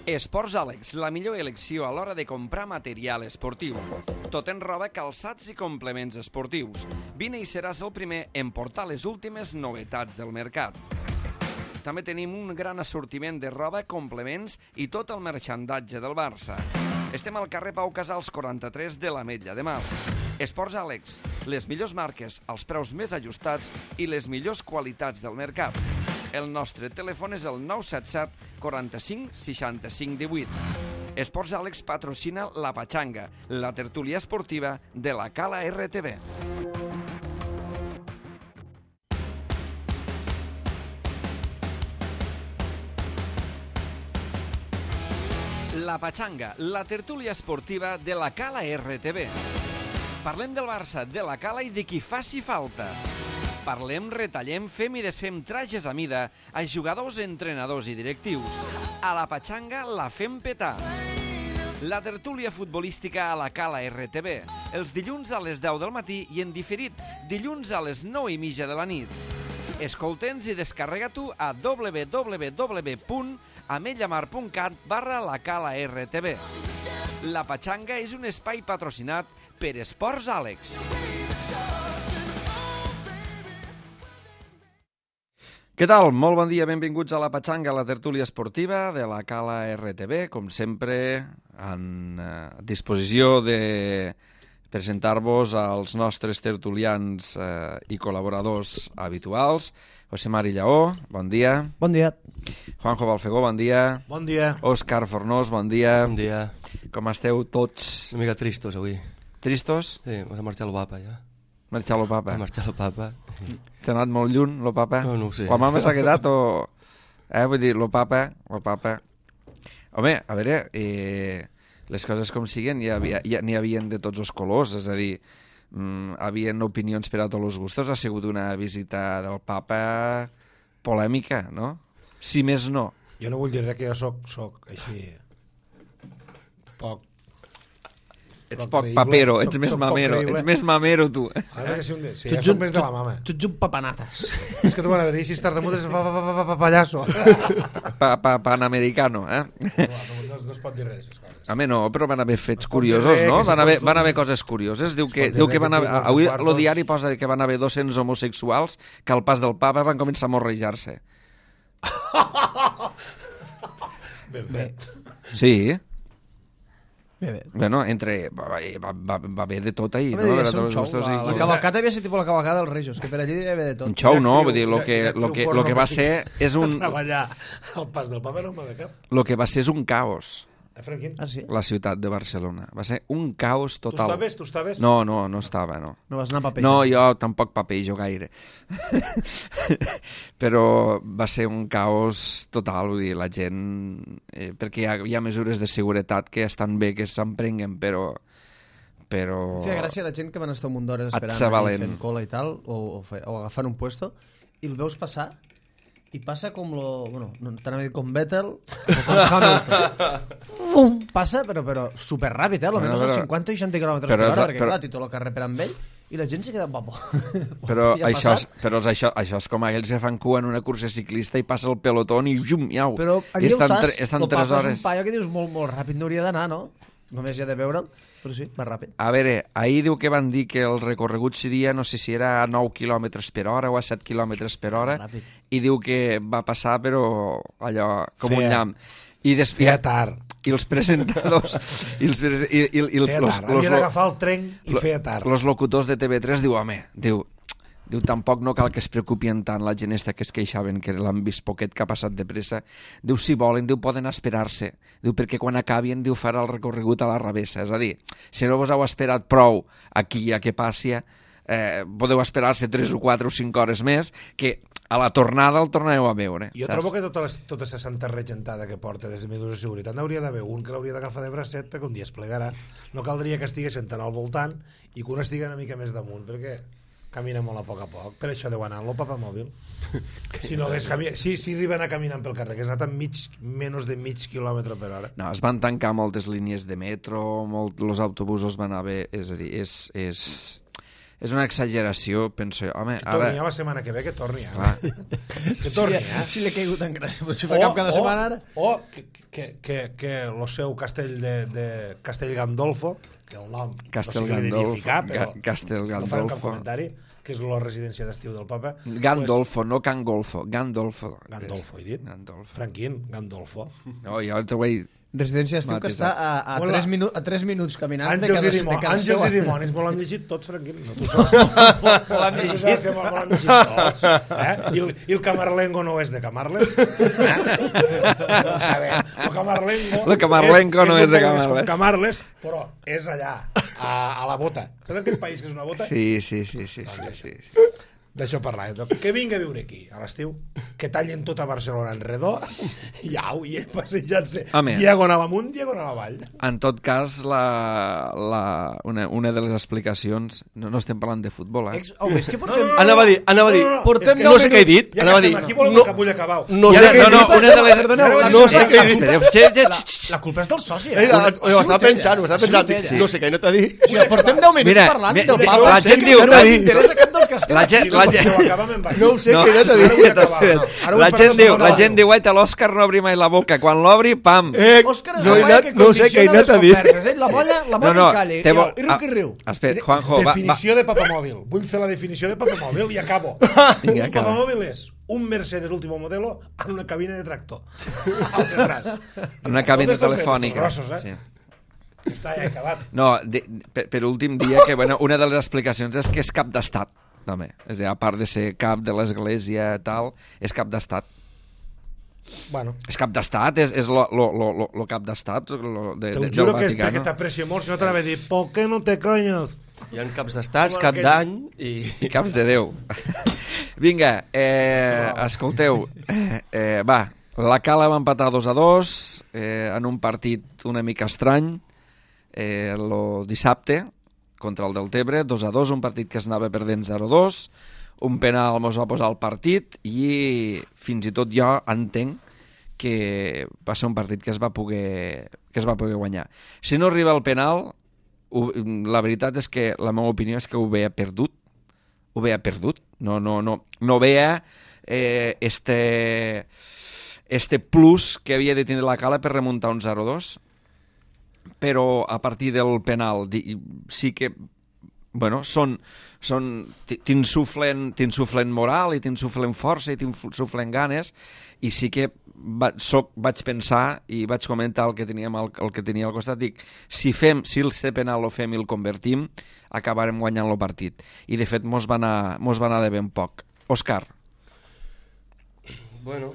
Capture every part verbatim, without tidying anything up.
Esports Àlex, la millor elecció a l'hora de comprar material esportiu. Tot en roba, calçats i complements esportius. Vine i seràs el primer en portar les últimes novetats del mercat. També tenim un gran assortiment de roba, complements i tot el marxandatge del Barça. Estem al carrer Pau Casals quaranta-tres de l'Ametlla de Mar. Esports Àlex, les millors marques, els preus més ajustats i les millors qualitats del mercat. El nostre telèfon és el nou set set quaranta-cinc seixanta-cinc divuit. Esports Àlex patrocina La Pachanga, la tertúlia esportiva de la Cala R T B. La Pachanga, la tertúlia esportiva de la Cala R T B. Parlem del Barça, de la Cala i de qui faci falta. Parlem, retallem, fem i desfem trajes a mida a jugadors, entrenadors i directius. A la Pachanga la fem petar. La tertúlia futbolística a la Cala R T B. Els dilluns a les deu del matí i en diferit dilluns a les nou i mitja de la nit. Escolta'ns i descarrega-t'ho a w w w punt ametllamar punt cat barra la Cala R T B. La Pachanga és un espai patrocinat per Esports Àlex. Què tal? Molt bon dia, benvinguts a La Pachanga, la tertúlia esportiva de la Cala R T B. Com sempre, en eh, disposició de presentar-vos als nostres tertulians eh, i col·laboradors habituals. José Mari Lleó, bon dia. Bon dia. Juanjo Balfegó, bon dia. Bon dia. Òscar Fornós, bon dia. Bon dia. Com esteu tots? Una mica tristos avui. Tristos? Sí, m'ha marxat el papa ja. Marxar lo papa. M'ha marxat el papa. T'ha anat molt lluny, lo papa? No, no ho sé. La mama s'ha quedat o... Eh, vull dir, lo papa, lo papa... Home, a veure, eh, les coses com siguen, n'hi havia, ja, n'hi havien de tots els colors, és a dir, mm, havien opinions per a tots els gustos, ha sigut una visita del papa polèmica, no? Si més no. Jo no vull dir res, que jo soc, soc així... poc... Ets poc papero, ets més mamero, ets més mamero, tu. A veure que si un dia... Sí, ja soc més de la mama. Tu ets un papanates. És que tu van a dir, si estàs de mutes, pa, pa, pa, pa, pa, pallasso. Pa, pa, panamericano, eh? No, no es pot dir res, aquestes coses. Home, no, però van haver fets curiosos, no? Van haver, van haver coses curioses. Diu que, diu que van haver... Avui el diari posa que van haver dos-cents homosexuals que al pas del papa van començar a morrejar-se. Ben fet. Sí. Bé, bé. Bueno, entre... Va, va, va, va haver de tot ahir, Home, no? devia Va ser un tots xou. els gustos La, i- la cavalcata devia ser tipus la cavalcada dels Rejos, que per allí devia haver de tot. Un xou no, vull dir, lo Una que, actriu lo que, porno lo que va que ser sigui és un... treballar al pas del papa no em va de cap. Lo que va ser és un caos, Eh, Franquín? Ah, sí? la ciutat de Barcelona. Va ser un caos Tu total. estaves? Tu estaves? No, no, no estava, no. No vas anar a paper. No, jo tampoc papejo gaire. Però va ser un caos total, vull dir, la gent... Eh, perquè hi ha, hi ha mesures de seguretat que estan bé que s'emprenguen, però... però... Em feia gràcia la gent que van estar un munt d'hores Et esperant sabalen. allà fent cola i tal, o, o, fe, o agafant un puesto, i el veus passar, i passa com lo... Bueno, no t'anava a dir com Vettel, o com Hamilton. Fum, passa, però, però superràpid, eh? Almenys Bueno, a però- cinquanta o seixanta quilòmetres però per és- hora, perquè però- clar, té tot el carrer per amb ell, i la gent se queda papo. Però, I ha això és, passat. però és això, això és com aquells que fan cua en una cursa ciclista i passa el pelotón i jum, miau. Però I allà ho estan, saps, tre- estan el tres papa és hores. un paio que dius molt, molt ràpid, no hauria d'anar, no? Només hi ha de veure'l, però sí, va ràpid. A veure, ahir diu que van dir que el recorregut seria, no sé si era a nou quilòmetres per hora o a set quilòmetres per hora, Ràpid. i diu que va passar, però allò, com un Feia- llamp. I Feia després... tard. I els presentadors... I els, prese- i, i, i els, Feia los, tard. los, Havia d'agafar el tren i feia tard. los locutors de T V tres diu, home, diu, diu, tampoc no cal que es preocupien tant la gent esta que es queixaven que l'han vist poquet que ha passat de pressa. Diu, si volen, diu, poden esperar-se. Diu, perquè quan acabin, diu, farà el recorregut a la revessa. És a dir, si no vos heu esperat prou aquí a que passi, eh, podeu esperar-se tres o quatre o cinc hores més, que a la tornada el tornareu a veure. Jo saps? trobo que tota, les, tota aquesta santa regentada que porta des de mesures de seguretat n'hauria d'haver un que l'hauria d'agafar de bracet perquè un dia es plegarà. No caldria que estigués sentant al voltant i que un estigui una mica més damunt, perquè camina molt a poc a poc. Per això deu anar en el papamòbil. Si no hagués camina... si, si arriba a anar caminant pel carrer, que has anat amb mig, menys de mig quilòmetre per hora. No, es van tancar moltes línies de metro, molt, els autobusos van haver... És a dir, és, és, és una exageració, penso jo. Home, Que torni ara... ja la setmana que ve, que torni ja. Clar. Que torni Sí, ja. si li ha caigut en gràcia, però si fa cap cada setmana ara... O que, que, que, que el seu castell de, de Castell Gandolfo, que el nom Castel no sé què li devia Gandolfo, ficar, però Ga- Castel no farem cap Gandolfo. comentari, que és la residència d'estiu del papa. Gandolfo, no Cangolfo, Gandolfo. Pues, Gandolfo, he dit. Gandolfo. Franquín, Gandolfo. No, jo t'ho vaig... Residència d'estiu que està a, a, Hola. tres minu a tres minuts caminant de Àngels cada, i, dimoni, de cada àngels seu. i dimonis, me l'han llegit tots, Franquín. No t'ho saps. Me l'han llegit. Me l'han llegit tots. Eh? I, el, I el Camarlengo no és de Camarles. Eh? No ho sabem. El Camarlengo, El Camarlengo no és de un poc més Camarles. com Camarles, però és allà, a, a la bota. Saps aquell país que és una bota? Sí, sí, sí, sí, sí, sí, sí. D'això parlàvem. Que vingui a viure aquí, a l'estiu, que tallin tota Barcelona en redó, i au, i ell passejant-se Home. diagonal amunt, diagonal avall. En tot cas, la, la, una, una de les explicacions... No, no estem parlant de futbol, eh? Ex... Home, és que portem... Anava a dir, anava a dir, Portem és que no sé què he dit, Ja anava a que dir, estem aquí, volem no, una capulla cabau. no I sé ara, què no, he no, dit, una de les... Perdoneu, la- no sé què he dit. Espereu, sí, sí, La, sí. la culpa és del soci, Eh, eh? ho estava pensant, ho estava pensant, dic, Sí. no sé què he anat a dir. O sigui, portem deu minuts Mira, parlant mira, del la papa. gent que diu- no ens interessa cap dels castells. La gent- I la no, gent- ho acabem amb No ho sé No, què he anat a dir. Ara vull acabar, espera't, no. Ara vull la parlar gent de diu, la Nadal. gent diu, "Guaita, l'Òscar no obri mai la boca. Quan l'obri, pam. Eh, Òscar és no, la he molla anat, que no sé què he condiciona anat a les dir. converses, eh? La molla, la molla No, no, i calla, i, té bo- i riu que riu. Ah, espera, Juanjo, va, va. Definició de papamòbil. Vull fer la definició de papamòbil i acabo. Vinga, Un acaba. papamòbil és un Mercedes último modelo en una cabina de tractor. Al detrás. Una cabina Totes dos telefònica. metres, grossos, eh? Sí. Està ja acabat. No, de, per, per últim dia, que bueno, una de les explicacions és que és cap d'estat, també. És a dir, a part de ser cap de l'església tal, és cap d'estat. Bueno, És cap d'estat, és, és lo, lo, lo, lo, lo cap d'estat lo de, te de, ho juro del que és perquè Vaticano. t'aprecio molt, si no t'anava a dir ¿por qué no te calles? Hi ha caps d'estats, Com cap aquell. d'any i... I caps de Déu. Vinga, eh, escolteu, eh, eh, va, la Cala va empatar dos a dos eh, en un partit una mica estrany, eh, lo dissabte, contra el Deltebre, dos a dos, un partit que es anava perdent zero a dos, un penal mos va posar al partit i fins i tot jo entenc que va ser un partit que es va poder, que es va poder guanyar. Si no arriba el penal, ho, la veritat és que la meva opinió és que ho veia perdut, ho veia perdut, no, no, no, no veia eh, este, este plus que havia de tindre la Cala per remuntar un zero a dos, però a partir del penal di, sí que bueno, són, són t'insuflen t'insuflen moral i t'insuflen força i t'insuflen ganes i sí que va, soc, vaig pensar i vaig comentar el que, teníem al, el que tenia al costat, dic, si fem si el penal el fem i el convertim acabarem guanyant el partit i de fet mos va anar, mos va anar de ben poc. Òscar. Bueno,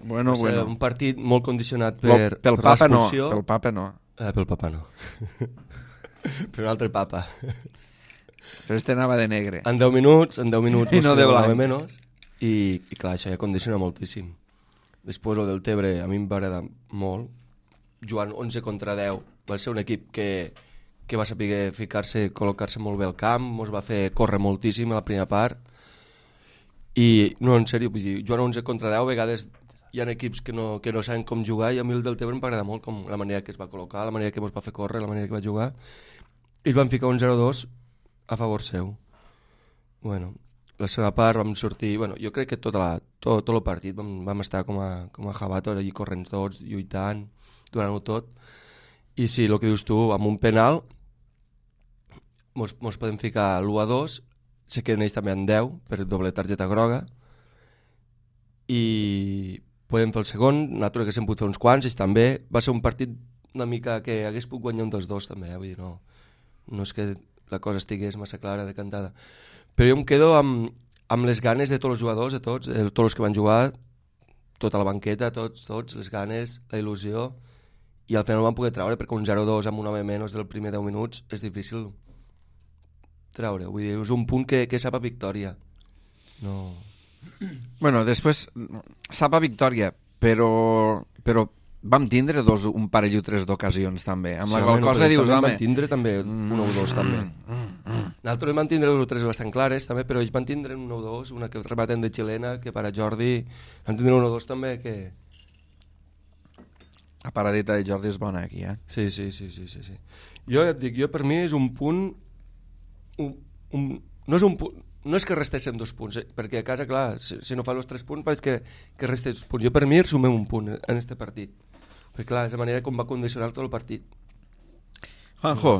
Bueno, va ser bueno. un partit molt condicionat Lo, per, pel per papa no, l'expulsió. pel papa no. Eh, pel papa no. Per un altre papa. Però este anava de negre. En deu minuts, en deu minuts I no de blanc. menys, i, i clar, això ja condiciona moltíssim. Després el del Tebre a mi em va agradar molt, jugant onze contra deu, va ser un equip que, que va saber ficar-se, col·locar-se molt bé al camp, ens va fer córrer moltíssim a la primera part, i no, en sèrio, vull dir, jugant onze contra deu, a vegades hi ha equips que no, que no saben com jugar, i a mi el del Tebre em va agradar molt com la manera que es va col·locar, la manera que ens va fer córrer, la manera que va jugar, i es van ficar un zero a dos a favor seu. Bueno, la segona part vam sortir, bueno, jo crec que tota la, tot, tot el partit vam, vam estar com a, com a jabatos allí corrents tots, lluitant, durant-ho tot, i sí, el que dius tu, amb un penal mos, mos podem ficar l'u a dos, se queden ells també en deu per doble targeta groga, i podem fer el segon, nosaltres que s'hem pogut fer uns quants, i també va ser un partit una mica que hagués pogut guanyar un dels dos també, eh? Vull dir, no, no és que la cosa estigués massa clara, decantada. Però jo em quedo amb, amb les ganes de tots els jugadors, de tots, de tots els que van jugar, tota la banqueta, tots, tots, les ganes, la il·lusió, i al final no van poder treure, perquè un zero a dos amb un home menys del primer deu minuts és difícil treure. Vull dir, és un punt que, que sap a victòria. No... Bueno, després sap a victòria, però, però vam tindre dos, un parell o tres d'ocasions també, amb Sí, la qual home, cosa però dius, ells també home... van tindre també un o dos també. Nosaltres van tindre dos o tres bastant clares també, però ells van tindre un o dos, una que rematen de xilena, que per a Jordi van tindre un o dos també que... La paradeta de Jordi és bona aquí, eh? Sí, sí, sí, sí, sí, sí. Jo ja et dic, jo per mi és un punt un, un, no és un punt, no és que restessin dos punts, eh? Perquè a casa, clar, si, si no fa els tres punts, pareix que, que restes dos punts. Jo, per mi, sumem un punt en este partit. Perquè, clar, és la manera com va condicionar tot el partit. Juanjo,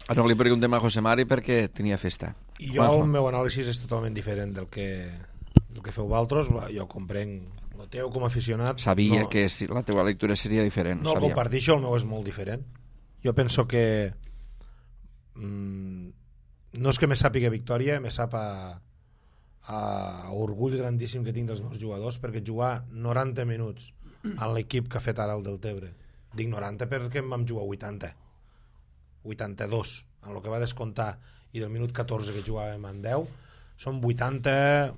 ara li preguntem a José Mari perquè tenia festa. I jo, Juanjo. El meu anàlisi és totalment diferent del que, del que feu vosaltres. Jo comprenc el teu com a aficionat. Sabia no, que la teva lectura seria diferent. No el comparteixo, el meu és molt diferent. Jo penso que mmm, no és que me sàpiga victòria, me sap a, a orgull grandíssim que tinc dels meus jugadors, perquè jugar noranta minuts en l'equip que ha fet ara el Deltebre, dic noranta perquè em vam jugar vuitanta vuitanta-dos en el que va descomptar, i del minut catorze que jugàvem en deu, són vuitanta,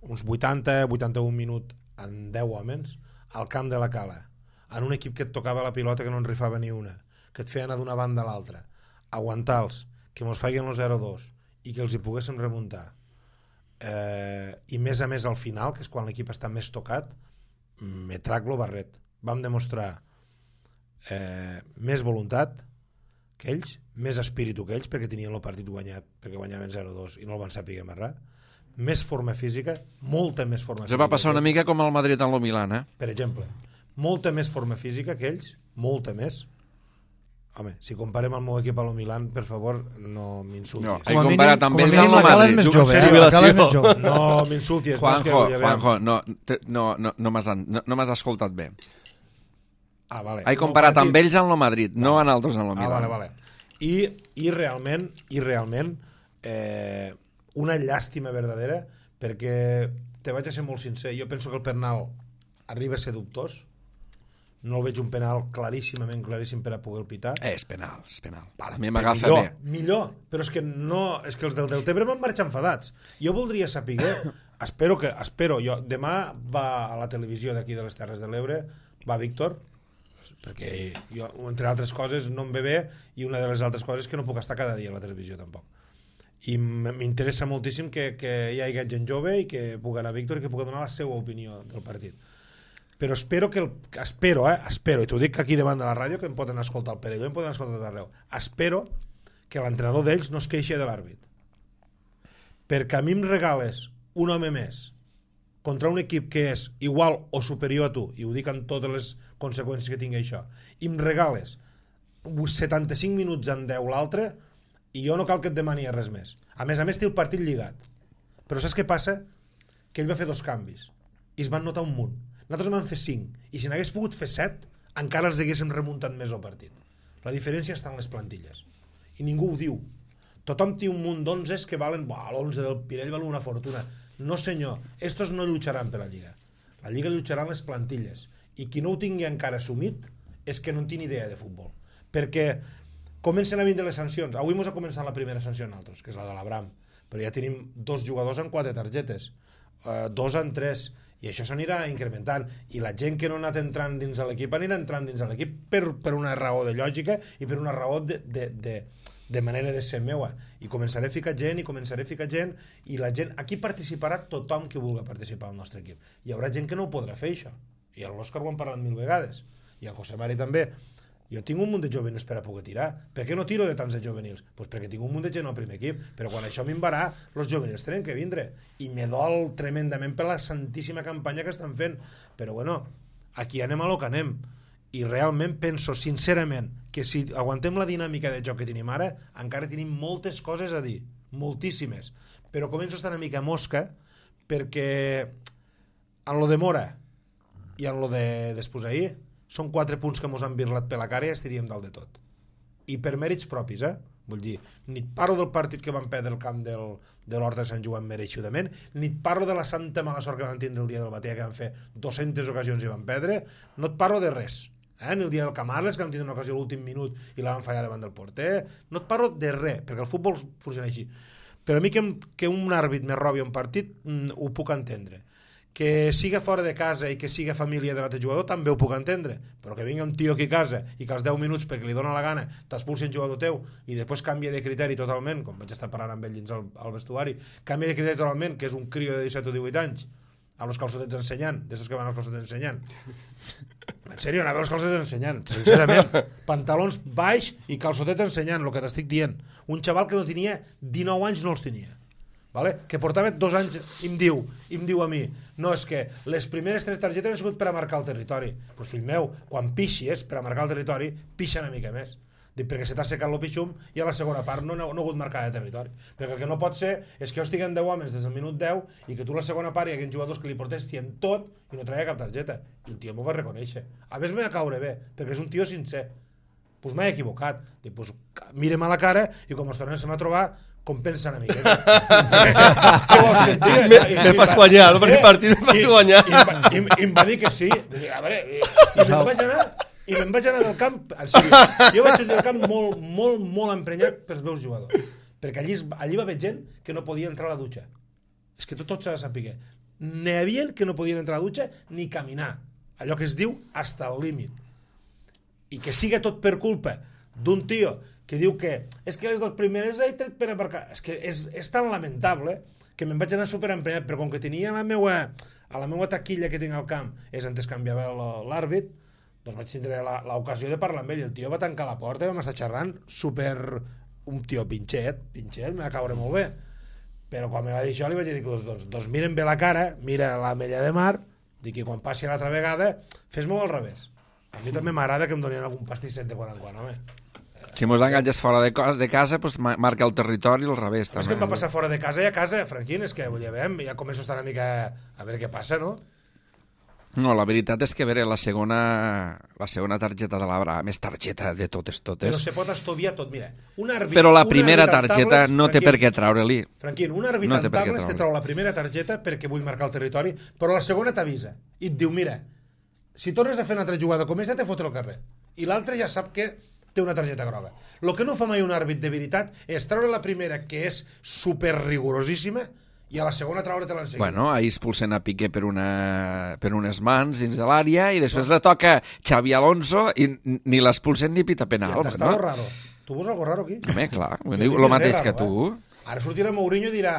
uns vuitanta vuitanta-un minuts en deu homes al camp de la Cala, en un equip que et tocava la pilota que no en rifava ni una, que et feia anar d'una banda a l'altra, aguantar-los, que mos feien el zero dos i que els hi poguéssim remuntar, eh, i més a més al final, que és quan l'equip està més tocat, me trac lo barret. Vam demostrar eh, més voluntat que ells, més espíritu que ells, perquè tenien el partit guanyat, perquè guanyaven zero dos i no el van saber amarrar, més forma física, molta més forma física. Se va passar una mica com el Madrid en el Milan, eh? Per exemple, molta més forma física que ells, molta més. Home, si comparem el meu equip a lo Milan, per favor, no m'insultis. No, he comparat amb ells amb el la Cala és Madrid. més jove, eh? La Cala és més jove. No m'insultis. Juanjo, Juanjo, no, no, no, no m'has no, no escoltat bé. Ah, vale. He comparat no, amb ells en el Madrid, no en altres en el Milan. Ah, vale, vale. I, i realment, i realment eh, una llàstima verdadera, perquè te vaig a ser molt sincer, jo penso que el penal arriba a ser dubtós, no el veig un penal claríssimament claríssim per a poder el pitar. Eh, és penal, és penal. Vale, a mi m'agafa millor, bé. Millor, però és que no, és que els del Deltebre van marxar enfadats. Jo voldria saber, espero que, espero, jo, demà va a la televisió d'aquí de les Terres de l'Ebre, va Víctor, perquè jo, entre altres coses, no em ve bé, i una de les altres coses és que no puc estar cada dia a la televisió tampoc. I m'interessa moltíssim que, que hi hagi gent jove i que pugui anar a Víctor i que pugui donar la seva opinió del partit. Però espero que, el, espero, eh, espero, i t'ho dic aquí davant de la ràdio, que em poden escoltar el Perelló, em poden escoltar tot arreu, espero que l'entrenador d'ells no es queixi de l'àrbit. Perquè a mi em regales un home més contra un equip que és igual o superior a tu, i ho dic amb totes les conseqüències que tingui això, i em regales setanta-cinc minuts en deu l'altre, i jo no cal que et demani res més. A més a més té el partit lligat. Però saps què passa? Que ell va fer dos canvis i es van notar un munt. Nosaltres vam fer cinc, i si n'hagués pogut fer set, encara els haguéssim remuntat més el partit. La diferència està en les plantilles. I ningú ho diu. Tothom té un munt d'onzes que valen... l'onze del Pirell val una fortuna. No senyor, estos no lluitaran per la Lliga. La Lliga lluitaran les plantilles. I qui no ho tingui encara assumit és que no en tingui idea de futbol. Perquè comencen a vindre les sancions. Avui mos ha començat la primera sanció en altres, que és la de l'Abram. Però ja tenim dos jugadors en quatre targetes. Uh, dos en tres, i això s'anirà incrementant, i la gent que no ha anat entrant dins de l'equip anirà entrant dins de l'equip per, per una raó de lògica i per una raó de, de, de, de manera de ser meua, i començaré a ficar gent i començaré a ficar gent, i la gent, aquí participarà tothom que vulgui participar al nostre equip. Hi haurà gent que no ho podrà fer, això, i l'Òscar ho han parlat mil vegades, i el José Mari també. Jo tinc un munt de juvenils per a poder tirar. Per què no tiro de tants de juvenils? Pues perquè tinc un munt de gent al primer equip, però quan això m'invarà, els juvenils tenen que vindre, i me dol tremendament per la santíssima campanya que estan fent, però bueno, aquí anem a lo que anem, i realment penso sincerament que si aguantem la dinàmica de joc que tenim ara, encara tenim moltes coses a dir, moltíssimes, però començo a estar una mica mosca, perquè en lo de Mora i en lo de Despús-Ahir són quatre punts que mos han virlat per la cara i estaríem dalt de tot. I per mèrits propis, eh? Vull dir, ni et parlo del partit que van perdre el camp del, de l'Horta de Sant Joan mereixudament, ni et parlo de la santa mala sort que van tindre el dia del Batea, que van fer dues-centes ocasions i van perdre, no et parlo de res. Eh? Ni el dia del Camarles, que van tindre una ocasió a l'últim minut i la van fallar davant del porter, no et parlo de res, perquè el futbol funciona així. Però a mi que, que un àrbit me robi un partit, mm, ho puc entendre. Que siga fora de casa i que siga família de l'altre jugador també ho puc entendre, però que vingui un tio aquí a casa i que als deu minuts perquè li dona la gana t'expulsi un jugador teu i després canvia de criteri totalment, com vaig estar parlant amb ell dins al, al vestuari, canvia de criteri totalment, que és un crio de disset o divuit anys a los calçotets ensenyant, d'estos que van als calçotets ensenyant. En sèrio, anava als calçotets ensenyant, sincerament. Pantalons baix i calçotets ensenyant, el que t'estic dient. Un xaval que no tenia dinou anys no els tenia. vale? Que portava dos anys i em diu, i em diu a mi, no, és que les primeres tres targetes han sigut per a marcar el territori. Doncs pues, fill meu, quan pixies per a marcar el territori, pixa una mica més. Dic, perquè se t'ha secat el pixum i a la segona part no, no, no ha hagut marcar de territori. Perquè el que no pot ser és que jo estigui en deu homes des del minut deu i que tu la segona part hi haguin jugadors que li protestien tot i no traia cap targeta. I el tio m'ho va reconèixer. A més m'ha de caure bé, perquè és un tio sincer. Doncs pues m'he equivocat. Dic, pues, mirem a la cara i com ens tornem a trobar, compensa una miqueta. Què vols que et digui? Me, me fas guanyar, el primer partit me fas guanyar. I em va dir que sí. A veure, i me'n vaig anar... I me'n vaig anar del camp, en sèrio, jo vaig sortir del camp molt, molt, molt emprenyat pels meus jugadors. Perquè allí, allí va haver gent que no podia entrar a la dutxa. És que tot, tot s'ha de saber. N'hi havia que no podien entrar a la dutxa ni caminar. Allò que es diu hasta el límit. I que siga tot per culpa d'un tio que diu que és que les dues primeres he tret per aparcar. És que és, és tan lamentable que me'n vaig anar superemprenyat, però com que tenia la meua, a la meua taquilla que tinc al camp és on es canviava l'àrbit, doncs vaig tindre l'ocasió de parlar amb ell. El tio va tancar la porta i vam estar xerrant super... un tio pinxet, pinxet, m'ha de caure molt bé. Però quan me va dir això li vaig dir, doncs, doncs, doncs miren bé la cara, mira la mella de mar, dic que quan passi l'altra vegada fes-m'ho al revés. A mi també m'agrada que em donin algun pastisset de quan en quan, home. Si mos enganges fora de, de casa, pues marca el territori al revés. És que em va passar fora de casa i a casa, Franquín, és que ja veiem, ja començo a estar una mica a veure què passa, no? No, la veritat és que, a veure, la segona, la segona targeta de l'Abraham és targeta de totes, totes. Però se pot estudiar tot, mira. Un àrbit, Però la un primera tables, targeta no té Franquín, per què treure-li. Franquín, un àrbit No en té per què tables te treure. trau la primera targeta perquè vull marcar el territori, però la segona t'avisa i et diu, mira, si tornes a fer una altra jugada com aquesta, te fotre al carrer. I l'altre ja sap que té una targeta groga. El que no fa mai un àrbit de veritat és treure la primera, que és super rigorosíssima, i a la segona treure-te-la enseguida. Bueno, ahir expulsen a Piqué per, una, per unes mans dins de l'àrea i després le toca Xavi Alonso i ni l'expulsen ni pita penal. I t'està no? algo raro. Tu veus algo raro aquí? Home, clar, Jo diu dic el mateix raro, que tu. Eh? Ara sortirà Mourinho i dirà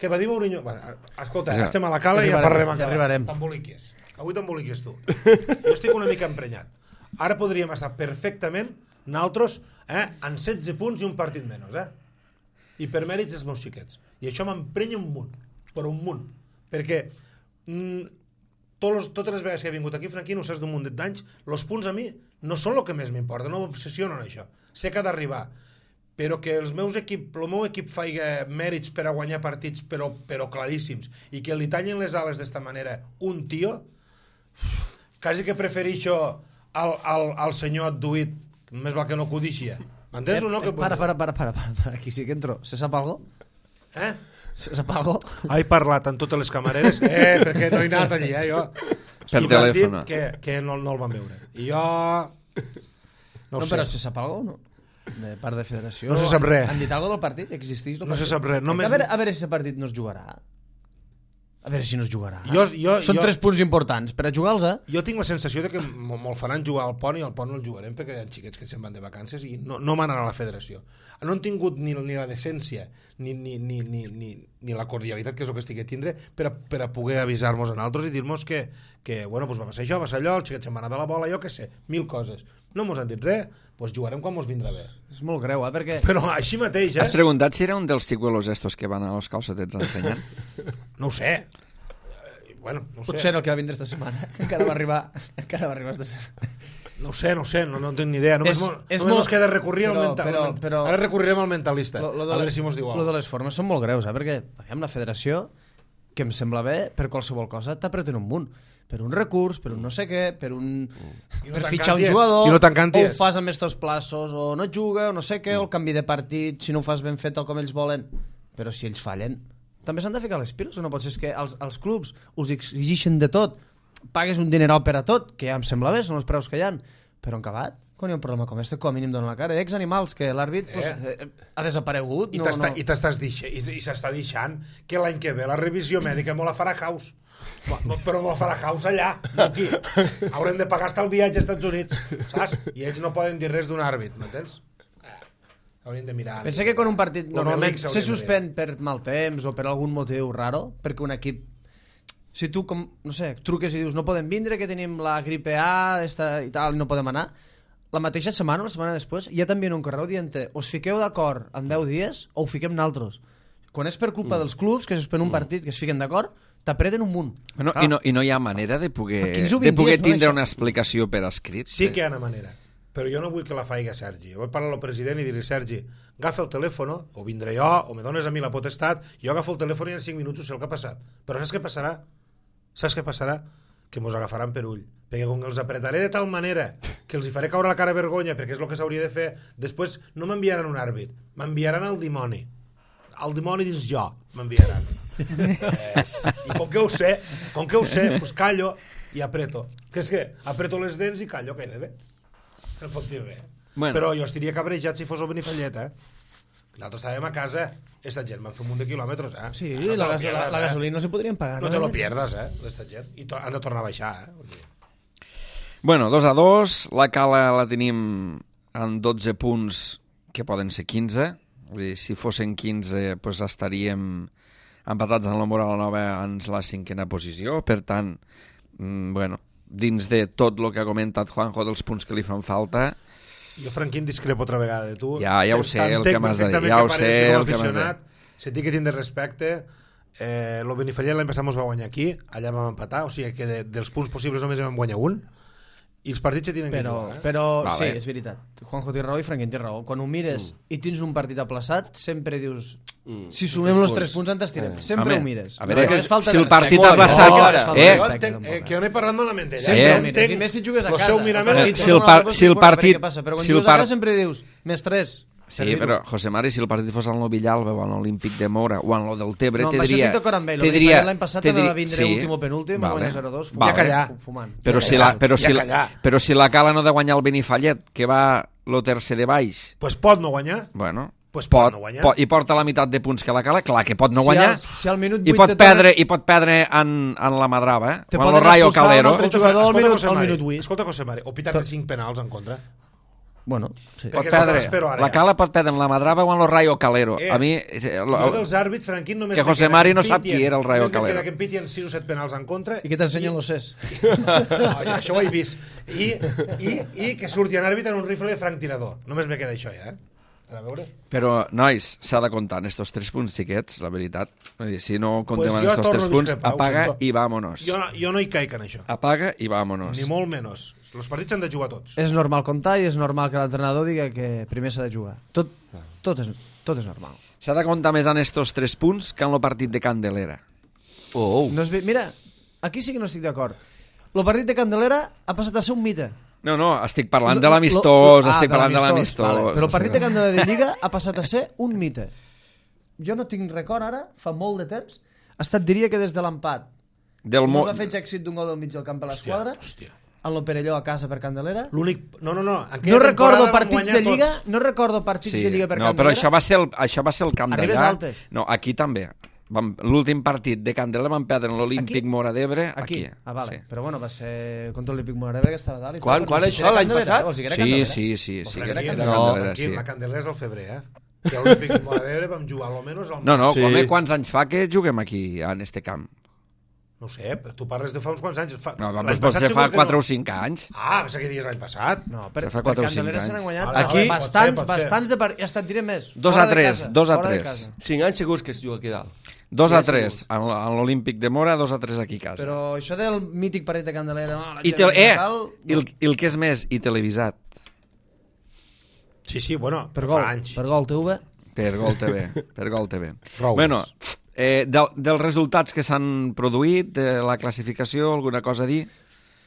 què va dir Mourinho? Bueno, escolta, Ja. estem a la cala i ja Arribarem, parlarem ja encara. arribarem. T'emboliquies. Avui t'emboliquies tu. Jo estic una mica emprenyat. Ara podríem estar perfectament nosaltres eh, en setze punts i un partit menys. Eh? I per mèrits dels meus xiquets. I això m'emprenya un munt. Però un munt. Perquè mm, tots, totes les vegades que he vingut aquí, Franquín, ho saps d'un munt d'anys, els punts a mi no són el que més m'importa, no m'obsessiono en això. Sé que ha d'arribar. Però que els meus equip, el meu equip faiga mèrits per a guanyar partits, però, però claríssims, i que li tallen les ales d'esta manera un tio, quasi que prefereixo al, al, al senyor Adduït, més val que no codixia. M'entens o no? Que... Para, para, para, para, para, para, aquí sí que entro. Se sap algo? Eh? Se sap algo? He parlat amb totes les camareres, eh, perquè no he anat allí, eh, jo. Per I m'han dit telèfon. que, que no, no el van veure. I jo... No, No, ho sé. però se sap algo o no? De part de federació. No se sap res. Han dit algo del partit? Existeix el No se partit? sap res. Només... A veure, a veure si el partit no es jugarà. A veure si no es jugarà. Jo, jo, Són jo, tres punts importants. Per a jugar-los, eh? jo tinc la sensació de que me'l faran jugar al pont i al pont no el jugarem perquè hi ha xiquets que se'n van de vacances i no, no manen a la federació. No han tingut ni, ni la decència ni, ni, ni, ni, ni, ni la cordialitat, que és el que estic a tindre, per a, per a poder avisar-nos a nosaltres i dir-nos que, que bueno, pues va passar això, va passar allò, el xiquet se'n va anar de la bola, jo què sé, mil coses. No mos han dit res, pues jugarem quan mos vindrà bé. És molt greu, eh? Perquè... Però així mateix, eh? Has preguntat si era un dels xicuelos estos que van a los calçotets ensenyant? No ho sé. Bueno, no ho sé. Potser el que va vindre esta setmana. Encara va arribar, encara va arribar esta setmana. No ho sé, no ho sé, no, no tinc ni idea. Només, És- mo, és només molt- mos queda recurrir al però- mental. però- però- Ara recorrirem al mentalista. Lo, lo de a veure les- si mos diu lo alguna de cosa. les formes són molt greus, eh? Perquè aviam, la federació, que em sembla bé, per qualsevol cosa t'apreten un munt. Per un recurs, per un no sé què, per un... I no per te'n fitxar un canties, jugador, i no te'n o canties. ho fas amb estos plaços, o no juga, o no sé què, o el canvi de partit, si no ho fas ben fet tal com ells volen. Però si ells fallen, també s'han de ficar les piles, o no pot ser que els, els clubs us exigeixen de tot, pagues un dineral per a tot, que ja em sembla bé, són els preus que hi ha, però en acabat, quan hi ha un problema com este, com a mínim donen la cara. Hi ha exanimals que l'àrbit pues, eh, ha desaparegut. I no, t'està no. i t'estàs deixant, i, i s'està deixant que l'any que ve la revisió mèdica me la farà Caus. Mo- Però me la farà Caus allà, no aquí. Haurem de pagar hasta el viatge als Estats Units, saps? I ells no poden dir res d'un àrbit, m'entens? Eh, Haurien de mirar. Pensa que quan un partit Lo normalment Melix se hauria de suspèn per mal temps o per algun motiu raro, perquè un equip, si tu, com, no sé, truques i dius no podem vindre, que tenim la gripe A esta, i tal, i no podem anar, la mateixa setmana o la setmana després ja t'envien un correu dient us fiqueu d'acord en deu dies o ho fiquem naltros. Quan és per culpa dels clubs, que se suspèn un partit, que es fiquen d'acord, t'apreten un munt. Bueno, Clar. i, no, I no hi ha manera de poder, quinze o de vint poder dies, no, tindre això? una explicació per escrit? Sí que hi ha una manera, però jo no vull que la faig a Sergi. Vull parlar al president i dir-li, Sergi, agafa el telèfon, o vindré jo, o me dones a mi la potestat, jo agafo el telèfon i en cinc minuts sé el que ha passat. Però saps què passarà? Saps què passarà? Que mos agafaran per ull. Perquè com que els apretaré de tal manera que els hi faré caure la cara vergonya, perquè és el que s'hauria de fer, després no m'enviaran un àrbit, m'enviaran al dimoni. El dimoni dins jo m'enviaran. Es. I com que ho sé, com que ho sé, pues callo i apreto. Que és que apreto les dents i callo, que he de bé. No pot dir res. Bueno. Però jo estaria cabrejat si fos el Benifallet, eh? Nosaltres estàvem a casa, esta gent van fer un munt de quilòmetres, eh? Sí, no la, lo gas pierdas, la, la eh? gasolina no se podrien pagar. No te lo pierdas, eh, d'esta gent. I to han de tornar a baixar, eh? Bueno, dos a dos, la Cala la tenim en dotze punts, que poden ser quinze. Vull dir, si fossin quinze, pues estaríem empatats en la Moral Nova en la cinquena posició. Per tant, mm, bueno, dins de tot el que ha comentat Juanjo dels punts que li fan falta... Jo, Franquín, discrepo otra vegada de tu. Ja, ja ho sé, el que m'has de dir. Ja ho sé, el que m'has de dir. Se té que tindre respecte. Eh, el Benifallet l'any passat mos va guanyar aquí, allà vam empatar, o sigui que de, dels punts possibles només vam guanyar un, i els partits se tenen Però, que jugar. Eh? però Vale. sí, és veritat. Juanjo té raó i Franquín té raó. Quan ho mires mm. i tens un partit aplaçat, sempre dius... Mm. Si sumem els tres punts ens estirem. Eh. Sempre Home, ho mires. a veure, No, és falta si de el partit respecte. aplaçat... No, és falta de Eh, Jo respecte, entenc, eh, tampoc, que jo no he parlat malament d'ella. Sempre Jo ho mires. I més si jugues a lo casa. seu mirament El el partit Si el fos par- una si el cosa, partit- què passa? Però quan si el jugues a par- casa sempre dius més tres. Sí, però, José Mari, si el partit fos en el Villalba o en l'Olímpic de Mora o en el del Tebre, No, te amb això diria... sí d'acord amb ell. te El diria- Benifallet l'any passat te va diria- vindre sí. últim o penúltim, va Vale. guanyar zero a dos, Vale. Ja callar. fumant. Però Ja si la, callar, però, ja si la, callar. però si la Cala no de guanyar el Benifallet, que va lo tercer de baix, Pues pot no guanyar. bueno, Pues pot pot, no guanyar. pot, i porta la meitat de punts que la Cala, clar que pot no Si guanyar, als- si al minut i, vuit pot te perdre, tornen- i pot perdre en, en la Madrava, eh? Te O en el poden Rayo expulsar un Calero. altre jugador al minut- José al Mari, minut vuit. Escolta, José Mari, o pitar-te cinc penals en contra. Bueno, sí. Pot Perquè és el que perdre, espero ara, la ja. Cala pot perdre en la Madrava o en el Rayo Calero. Eh, a mi... eh, Jo lo- dels àrbits, Franquín, només Que me José queda Mari que no sap pitien- qui era el Rayo només me Calero. queda que em pitien sis o set penals en contra. I que t'ensenyen los ses. No, ja, això ho he vist. I, i, i que surti en àrbit en un rifle de franc tirador. Només me queda això, ja, eh? A veure. Però, nois, s'ha de comptar en estos tres punts xiquets, la veritat. Vull dir, si no comptem Pues en jo estos torno tres a punts, discrepar, ho apaga sento. i vámonos. Jo no, jo no hi caic en això. Apaga i vámonos. Ni molt menys. Els partits s'han de jugar tots. És normal comptar i és normal que l'entrenador diga que primer s'ha de jugar. Tot, tot, és, tot és normal. S'ha de comptar més en estos tres punts que en el partit de Candelera. Oh, oh. No és, ve- mira, aquí sí que no estic d'acord. El partit de Candelera ha passat a ser un mite. No, no, estic parlant Lo- de lo- l'amistós, ah, estic de parlant de l'amistós, l'amistós. vale. Però el partit de Candelera de Lliga ha passat a ser un mite. Jo no tinc record ara, fa molt de temps, ha estat, diria que des de l'empat. Del Com mo... va fer èxit d'un gol del mig del camp a l'esquadra, Hòstia. en lo Perelló a casa per Candelera. L'únic... No, no, no. En aquella No recordo temporada vam partits guanyar de Lliga, tots. no recordo partits Sí. de Lliga per No, Candelera. però això va ser el, això va ser el camp Arribes d'allà. altes. No, aquí també. Vam- L'últim partit de Candelera van perdre en l'Olímpic Aquí? Mora d'Ebre. Aquí. Aquí. Ah, vale. Sí. Però bueno, va ser contra l'Olímpic Moradebre, que estava dalt. i Quan? tot, Quan però no sé això, si era l'any Candelera, passat? o sigui, era Sí, Candelera. sí, sí, sí, que era Franquín, Candelera, Franquín, sí. la Candelera és al febrer, eh? Que a l'Olímpic de Moradebre vam jugar almenys al... No, no, Sí. home, quants anys fa que juguem aquí, en este camp? No ho sé, tu parles de fa uns quants anys. Fa... No, l'any doncs pot passat ser segur fa que quatre no. o cinc anys. Ah, pensava que dies l'any passat. No, per, Se fa per quatre o cinc Candelera se n'han anys. guanyat Vale, Aquí- vale, bastants, pot ser, pot ser. bastants de part... Ja et diré més. Dos fora a de tres, casa, dos a fora de tres. casa. Cinc anys segurs que es juga aquí dalt. Dos Sí, a sí, tres, sí. en en l'Olímpic de Mora, dos a tres aquí a casa. Però això del mític partit de Candelera... No, la I, gent te, eh, tal, i, el, i el que és més, i televisat, Sí, sí, bueno, per per gol, fa anys. per gol T V. per Gol T V, per Gol T V. Prou Bueno, més. eh, del, dels resultats que s'han produït, de la classificació, alguna cosa a dir?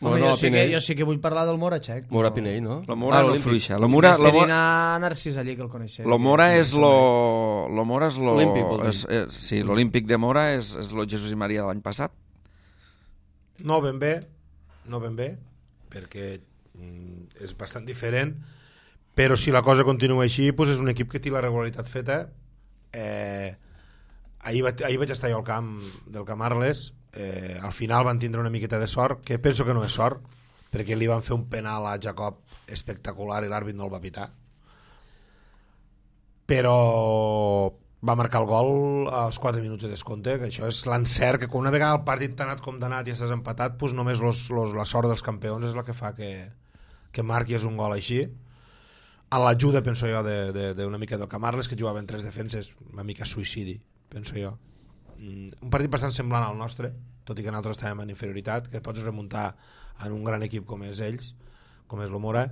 Home, Bueno, jo, sí que, Pinell. jo sí que vull parlar del Mora, Xec. Mora Pinell, no? La Mora Ah, no l'Olímpic. fluixa. La Mora, la Mora, a Narcís allí, que el coneixia. lo Mora és lo... Lo Mora és lo... Olímpic, vol dir. és, és, sí, l'Olímpic de Mora és, és lo Jesús i Maria de l'any passat. No ben bé, no ben bé, perquè mm, és bastant diferent, però si la cosa continua així, doncs és un equip que té la regularitat feta. Eh, ahir, va, ahir vaig estar jo al camp del Camp Arles, eh, al final van tindre una miqueta de sort, que penso que no és sort, perquè li van fer un penal a Jacob espectacular i l'àrbit no el va pitar. Però va marcar el gol als quatre minuts de descompte, que això és l'encert, que quan una vegada el partit t'ha anat com d'anat i estàs empatat, doncs només los, los, la sort dels campions és la que fa que, que marquis un gol així. A l'ajuda, penso jo, d'una mica del Camarles, que jugava en tres defenses, una mica suïcidi, penso jo. Un partit bastant semblant al nostre, tot i que nosaltres estàvem en inferioritat, que pots remuntar en un gran equip com és ells, com és l'Omora,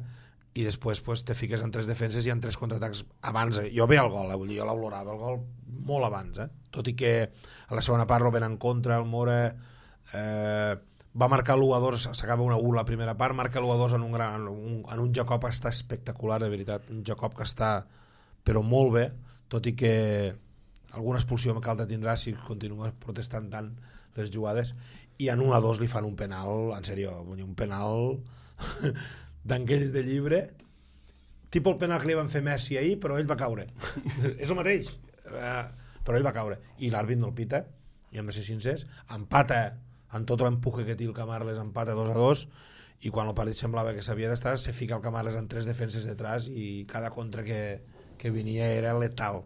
i després pues, te fiques en tres defenses i en tres contraatacs abans. Jo veia el gol, eh? Vull dir, jo l'olorava el gol molt abans, eh? Tot i que a la segona part ven en contra, el Mora eh, va marcar l'u a dos, s'acaba una u la primera part, marca l'u a dos en un, gran, un, en un Jacob que està espectacular, de veritat, un Jacob que està però molt bé, tot i que alguna expulsió que alta tindrà si continua protestant tant les jugades, i en un a dos li fan un penal, en sèrio, un penal d'anguells de llibre, tipus el penal que li van fer Messi ahir, però ell va caure. És el mateix, uh, però ell va caure. I l'àrbit no el pita, i hem de ser sincers, empata, en tot l'empuje que té el Camarles, empata dos a dos, i quan el partit semblava que s'havia d'estar, se fica el Camarles en tres defenses detrás, i cada contra que, que venia era letal.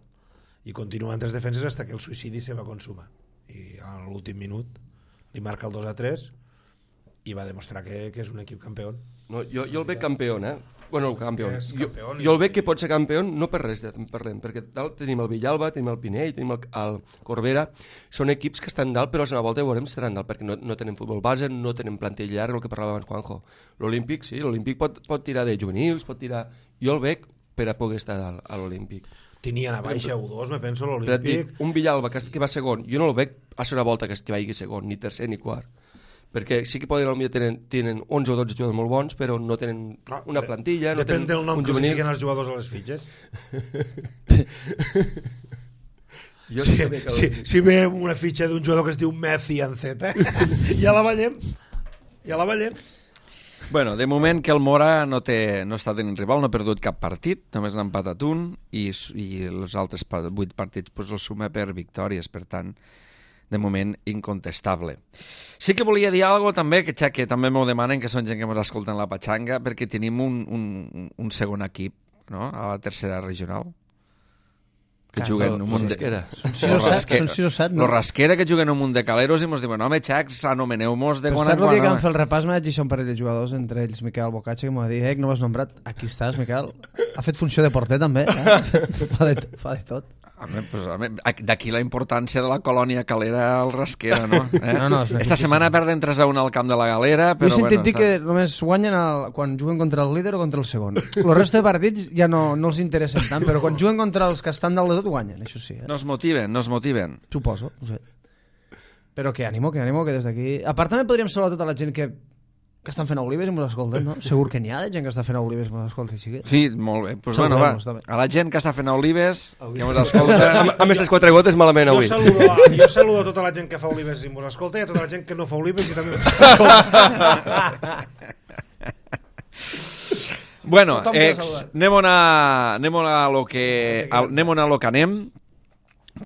I continua en tres defenses fins que el suïcidi se va consumar. I a l'últim minut li marca el dos a tres, i va demostrar que, que és un equip campió. No, jo, jo el veig campió, eh? Bueno, campió. Jo, campió jo el veig que pot ser campió no per res, en parlem, perquè dalt tenim el Villalba, tenim el Pinell, tenim el, el Corbera, són equips que estan dalt, però a la volta veurem si estaran dalt, perquè no, no tenen futbol base, no tenen plantilla llarga, el que parlava abans Juanjo. L'Olímpic, sí, l'Olímpic pot, pot tirar de juvenils, pot tirar... Jo el veig per a poder estar dalt a l'Olímpic. Tenien a baixa u dos, me penso, l'Olímpic. Un Villalba que, que va segon, jo no el veig a la volta que, que vagi segon, ni tercer ni quart. Perquè sí que poden, potser tenen, tenen onze o dotze jugadors molt bons, però no tenen no, una plantilla, no depèn tenen del nom un que juvenil. fiquen els jugadors a les fitxes. jo si, que... si, si veiem una fitxa d'un jugador que es diu Messi en Z, ja la veiem, ja la veiem. Bueno, de moment que el Mora no, té, no està tenint rival, no ha perdut cap partit, només n'ha empatat un, i, i els altres vuit partits pues, els suma per victòries, per tant, de moment incontestable. Sí que volia dir alguna cosa també, que, que també m'ho demanen, que són gent que ens escolten la Patxanga, perquè tenim un, un, un segon equip, no?, a la tercera regional, que Casa, juguen un munt de... Són sis o set, no? Lo Rasquera, que juguen un munt de caleros, i mos diuen, home, xacs, anomeneu-mos de quan en quan. Per cert, el dia que home. vam fer el repàs m'ha dit un parell de jugadors, entre ells Miquel Bocatge, que m'ha dit, eh, que no m'has nombrat. Aquí estàs, Miquel. Ha fet funció de porter, també. Eh? fa, de, fa de tot. Pues, d'aquí la importància de la colònia calera al Rasquera, no? Eh? no, no Esta setmana perden tres a un al camp de la Galera, però he sentit bueno, dir que només guanyen el, quan juguen contra el líder o contra el segon. El resto de partits ja no, no els interessen tant, però quan juguen contra els que estan dalt de tot guanyen, això sí. Eh? No es motiven, no es motiven. Suposo, no sé. Però que ànimo, que ànimo, que des d'aquí... A part també podríem saludar tota la gent que que estan fent olives i mos escolten, no? Segur que n'hi ha de gent que està fent olives i mos escolta. Sí, sí, molt bé. Pues bueno, va, a la gent que està fent olives, que mos escolta... Amb aquestes quatre gotes malament avui. Jo saludo, jo saludo a tota la gent que fa olives i mos escolta, i a tota la gent que no fa olives i també mos escolta. Bueno, ex, anem a, anem a lo que, anem a lo que anem,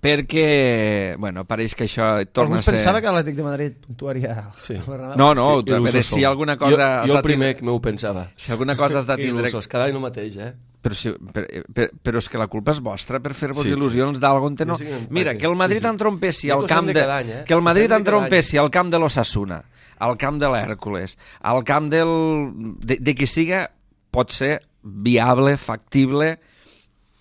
perquè, bueno, pareix que això torna Algú a ser... pensava que l'Atlètic de Madrid puntuaria... Sí. No, no, a veure, si alguna cosa... Jo, jo el primer que m'ho pensava. Si alguna cosa has de tindre... Cada any el mateix, eh? Però, si, per, per, però és que la culpa és vostra per fer-vos sí, il·lusions sí. d'algú on no... Sí, mira, que el Madrid sí, sí. entrompessi al camp de... Any, eh? Que el Madrid entrompessi al camp de l'Osasuna, al camp de l'Hèrcules, al camp del... de, de qui siga, pot ser viable, factible,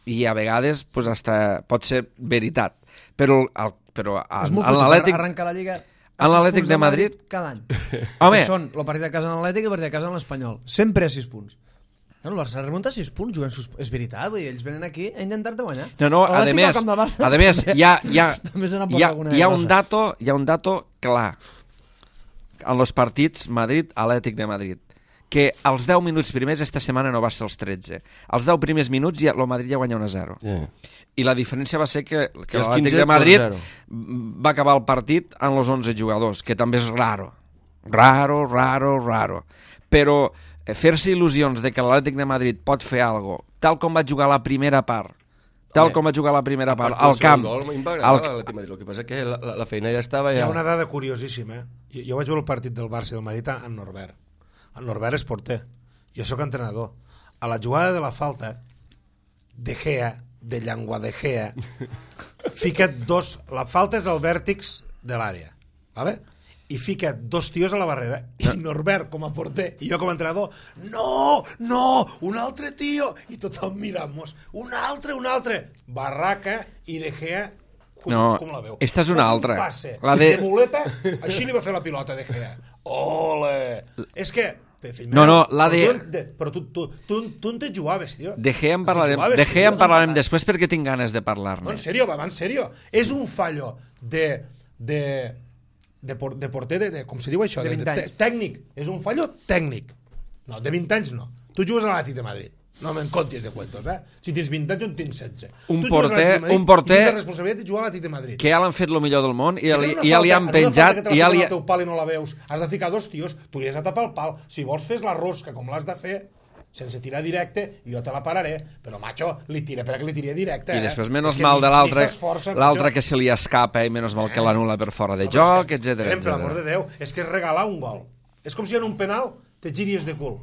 i a vegades pues, hasta pot ser veritat. Però, el, però en, en l'Atlètic... Arrencar la Lliga... En l'Atlètic de Madrid... Cada any. Home... Són el partit de casa en l'Atlètic i el partit de casa en l'Espanyol. Sempre a sis punts. No, el Barça remunta sis punts jugant sus... És veritat, vull dir, ells venen aquí a intentar-te guanyar. No, no, a més, a més, hi ha, hi ha, hi ha, hi ha un dato, hi ha un dato clar en els partits Madrid-Atlètic de Madrid, que als deu minuts primers esta setmana no va ser els tretze. Als deu primers minuts ja, el Madrid ja guanya un a zero. Yeah. I la diferència va ser que, que l'Atlètic de Madrid va acabar el partit amb els onze jugadors, que també és raro. Raro, raro, raro. Però fer-se il·lusions de que l'Atlètic de Madrid pot fer alguna cosa, tal com va jugar la primera part, tal com va jugar la primera part, al camp... Gol, el... el que passa que la, la feina ja estava... Ja... Hi ha una dada curiosíssima. Jo, jo vaig veure el partit del Barça i del Madrid en Norbert. El Norbert és porter. Jo sóc entrenador. A la jugada de la falta, De Gea, de Llangua de Gea, fica dos... La falta és al vèrtex de l'àrea, ¿vale? I fica dos tios a la barrera, i Norbert com a porter i jo com a entrenador, no, no, un altre tio, i tothom mirant-nos, un altre, un altre, barraca, i De Gea No, com la veu? esta és una Va fer un altra. Passe, La de... de- de muleta, així li va fer la pilota de Gea. Ole! És que... Fill No, meu, no, la però de- tu- de... Però tu, tu, tu, tu on te jugaves, tio? De Gea en On te parlarem, jugaves, de tio? Gea en parlarem després perquè tinc ganes de No, parlar-ne. en sèrio, va, va, en sèrio. És un fallo de... de de, por, de porter, de, de, com se diu això? De vint de, anys. tècnic. És un fallo tècnic. No, de vint anys no. Tu jugues a l'Atlètic de Madrid. No me'n contis de cuentos, eh? Si tens vint anys, jo en tinc setze. Un tu jugues a porter- l'Atlètic de Madrid un porter- i tens la responsabilitat de jugar a l'Atlètic de Madrid. Que ja l'han fet el millor del món i, Si ja li, tens una i ja li falta- han en una falta penjat que te i la ja fiquen li... al teu pal i no la veus, has de ficar dos tios, tu li has de tapar el pal. Si vols fes la rosca com l'has de fer, sense tirar directe, jo te la pararé. Però, macho, li tira perquè li tiré directe, I eh? després, menys És que mal ni- de ni l'altre, s'esforça, l'altre macho. que se li escapa i menys mal que l'anul·la per fora de No, però és joc, que, etcètera, Per l'amor de etcètera. Déu, és que és regalar un gol. És com si en un penal te giries de cul.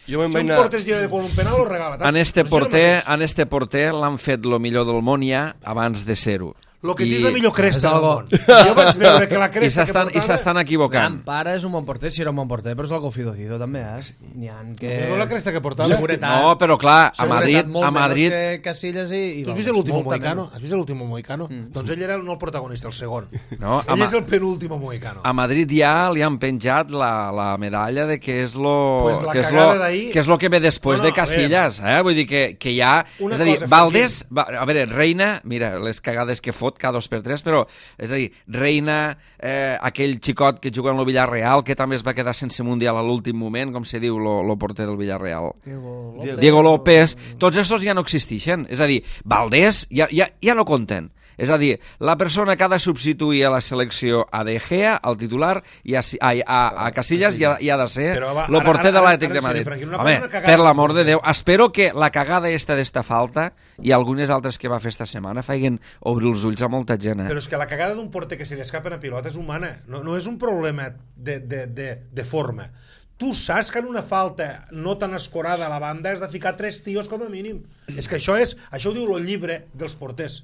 Jo me'n Si vaig un anar... porter es gira de cul en un penal, ho regala. En este Doncs és el porter, mateix. en este porter l'han fet lo millor del món ja abans de ser-ho. Lo que I- tens la millor cresta És del algo- món. Jo vaig veure que la I cresta que s'estan i portava... s'estan equivocant. Gran pare és un bon porter, si era un bon porter, però és algo fido-fido també, eh? N'hi ha que... No la cresta que portava? Seguretat. No, però clar, a Seguretat Madrid, molt a Madrid, menys que Casillas i... i Tu has vamos, vist l'último molta mohicano? menys. Has vist l'último mohicano? Mm. Doncs ell era el, no el protagonista, el segon. No, a ell Ma- és el penúltimo mohicano. a Madrid ja li han penjat la, la medalla de que és lo, Pues la que, és cagada lo d'ahir- que és lo que ve després No, no, de Casillas, eh? Vull dir que, que ja... Una és a dir, cosa, Valdés... Va, a veure, Reina, mira, les cagades que fot cada dos per tres, però, és a dir, Reina, eh, aquell xicot que juga en el Villarreal, que també es va quedar sense Mundial a l'últim moment, com se diu lo, lo porter del Villarreal. Diego Diego. Diego López, tots aquests ja no existeixen. És a dir, Valdés ja, ja, ja no compten. És a dir, la persona que ha de substituir a la selecció a De Gea, al titular, i a, a, a, a Casillas ja, ja ha de ser Però va, el ara- porter ara- de l'Atlètic ara de en sèrio, Madrid. Franqui, una cosa Home, és una cagada per del l'amor de porter. Déu, espero que la cagada esta d'esta falta i algunes altres que va fer esta setmana feien obrir els ulls a molta gent. Eh? Però és que la cagada d'un porter que se li escapa una pilota és humana. No, no és un problema de, de, de, de forma. Tu saps que en una falta no tan escorada a la banda has de ficar tres tios com a mínim. És que això és, això ho diu el llibre dels porters.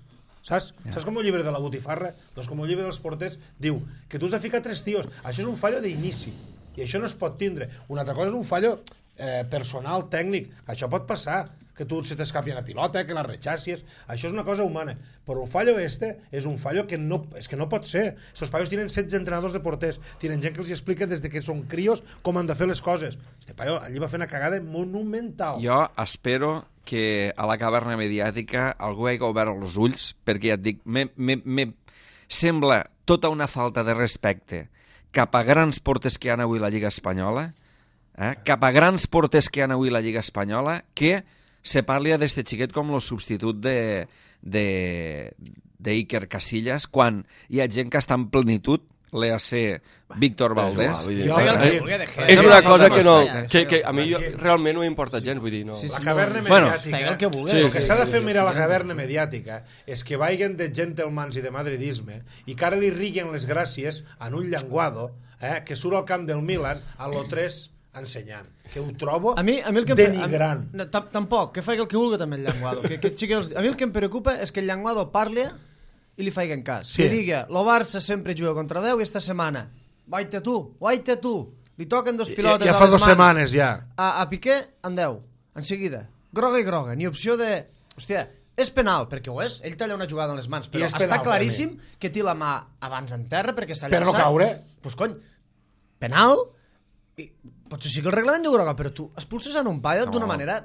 Saps? Yeah. Saps com el llibre de la botifarra? Doncs com el llibre dels porters diu que tu has de ficar tres tios. Això és un fallo d'inici. I això no es pot tindre. Una altra cosa és un fallo eh, personal, tècnic. Això pot passar. Que tu se t'escapi una pilota, que la rechassis. Això és una cosa humana. Però el fallo este és un fallo que no, és que no pot ser. Estos paios tienen setze entrenadors de porters. Tienen gent que els explica des de que són crios com han de fer les coses. Este paio allí va fer una cagada monumental. Jo espero que a la caverna mediàtica algú hagi obert els ulls, perquè ja et dic, me, me, me sembla tota una falta de respecte cap a grans porters que hi ha avui a la Lliga Espanyola, eh? cap a grans porters que hi ha avui a la Lliga Espanyola, que se parli d'este xiquet com el substitut de, de, d'Iker Casillas, quan hi ha gent que està en plenitud, l'E A C Víctor Valdés. Vull dir, Jo, Feia el que eh, volia de Gea. és una cosa que no... Ja, Que, això que ja. a mi jo, realment no m'importa gens, vull dir, no... Sí, sí. La caverna Bueno, mediàtica... feia el que vulgui. Sí, Sí, el que sí, s'ha de sí, fer sí, mirar a la sí. caverna mediàtica és que vagin de gentlemans i de madridisme i que ara li riguen les gràcies en un llenguado eh, que surt al camp del Milan a l'O tres ensenyant. Que ho trobo A mi, a mi el que em, denigrant. a, no, tam- tampoc, que faci el que vulgui també el llenguado. Que, que, xique els, a mi el que em preocupa és que el llenguado parli i li faiguen cas. Sí. Que diga, lo Barça sempre juga contra deu i esta setmana, vaite tu, vaite tu. Li toquen dos pilotes Ja, ja a fa les dues mans. setmanes, ja. A, a Piqué, en deu. En seguida. Groga i groga. Ni opció de... Hòstia, és penal, perquè ho és. Ell talla una jugada en les mans, però I és penal, està claríssim que té la mà abans en terra perquè s'ha Per no llançat. caure. Pues cony, penal, i potser sí que el reglament diu groga, però tu expulses en un paio d'una manera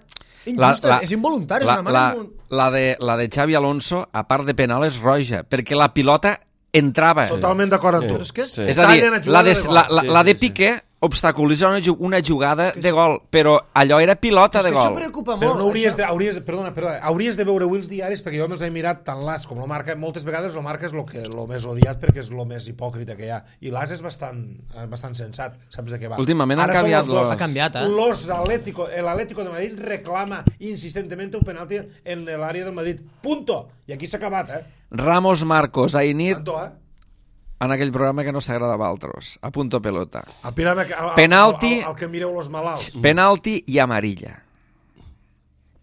injusta, és involuntari, la, és una manera la, involuntària. la, de, la de Xavi Alonso, a part de penal, és roja, perquè la pilota entrava. Totalment d'acord amb tu. Però és que és... Sí. És a dir, Tallen a la jugada de, de gol. la, la, Sí, la de sí, sí. Piqué obstaculitza una, ju- una jugada de gol, però allò era pilota és de que això gol. preocupa Però molt. no hauries això. de, hauries, perdona, perdona, hauries de veure avui els diaris perquè jo me'ls he mirat tant l'As com lo Marca. Moltes vegades lo Marca és lo, que, lo més odiat perquè és lo més hipòcrita que hi ha. I l'As és bastant, eh, bastant sensat. Saps de què va? Últimament han Ara són canviat los dos. los- Ha canviat, eh? Los Atlético, el Atlético de Madrid reclama insistentemente un penalti en l'àrea del Madrid. Punto. I aquí s'ha acabat, eh? Ramos Marcos, Ainit, Tanto, eh? en aquell programa que no s'agrada a Valtros, a punto pelota. El pirama, el, Penalti. El, el, el, que mireu los malalts. Penalti i amarilla.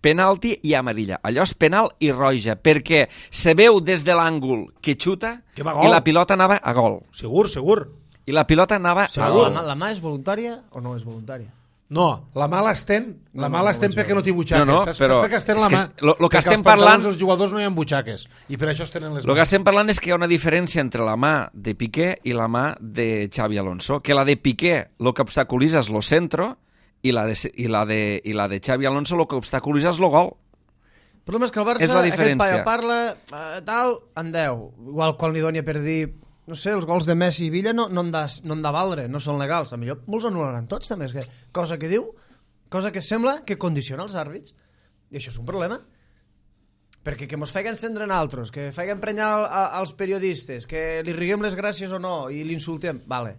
Penalti i amarilla. Allò és penal i roja, perquè se veu des de l'àngul que xuta Que va a gol. i la pilota anava a gol. Segur, segur. I la pilota anava a Segur. La, gol. mà- la mà és voluntària o no és voluntària? No, la mà l'estén, la No, mà no, l'estén no, perquè no té butxaques. No, no, saps, però saps per què estén és la que mà? és- lo- lo que Perquè estem als pantalons parlant- dels jugadors no hi ha butxaques i per això es tenen les El que mans. estem parlant és que hi ha una diferència entre la mà de Piqué i la mà de Xavi Alonso, que la de Piqué el que obstaculitza és lo centro i la de, i la de, i la de Xavi Alonso el que obstaculitza és lo gol. El problema és que el Barça, És la aquest diferència. paio parla, eh, tal, en deu. Igual quan li doni per dir, no sé, els gols de Messi i Villa no, no, han de, no han de valdre, no són legals. A millor molts anul·laran tots, també. És que, cosa que diu, cosa que sembla que condiciona els àrbits. I això és un problema. Perquè que mos feien encendre en altres, que feien prenyar al, a, als periodistes, que li riguem les gràcies o no i l'insultem, vale.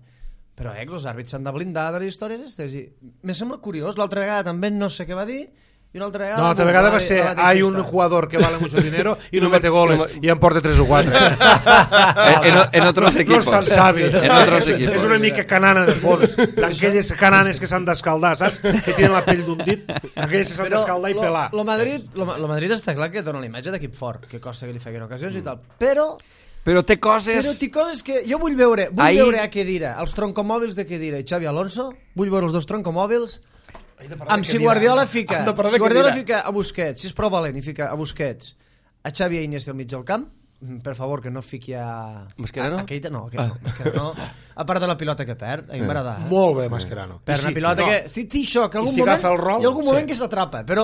Però eh, els àrbits s'han de blindar de les històries aquestes. I me sembla curiós, l'altra vegada també no sé què va dir, i una altra vegada... No, l'altra vegada va ser hay un jugador que vale mucho dinero y no mete goles y en porta tres o cuatro. En, en, en otros No equipos. és tan savi. En otros És, equipos. és una mica canana de fons. D'aquelles cananes que s'han d'escaldar, saps? Que tenen la pell d'un dit. Aquelles que s'han d'escaldar i lo, pelar. lo Madrid, lo, lo Madrid està clar que dona la imatge d'equip fort, que costa que li feien ocasions i tal. Però, Però té coses... però t'hi coses que jo vull veure, vull Ahir- veure a Kedira, els troncomòbils de Kedira i Xavi Alonso, vull veure els dos troncomòbils, amb si Guardiola fica, si Guardiola fica a Busquets, si és prou valent i fica a Busquets, a Xavi i Iniesta al mig del camp, per favor, que no fiqui a... Mascherano? A, a Keita, no, a Keita, no, Mascherano no. A part de la pilota que perd, a mi m'agrada. Eh? Molt bé, Mascherano. Per I una si- pilota no, que... Sí, té això, que I algun si moment... agafa el rol, hi ha algun moment sí. que s'atrapa, però...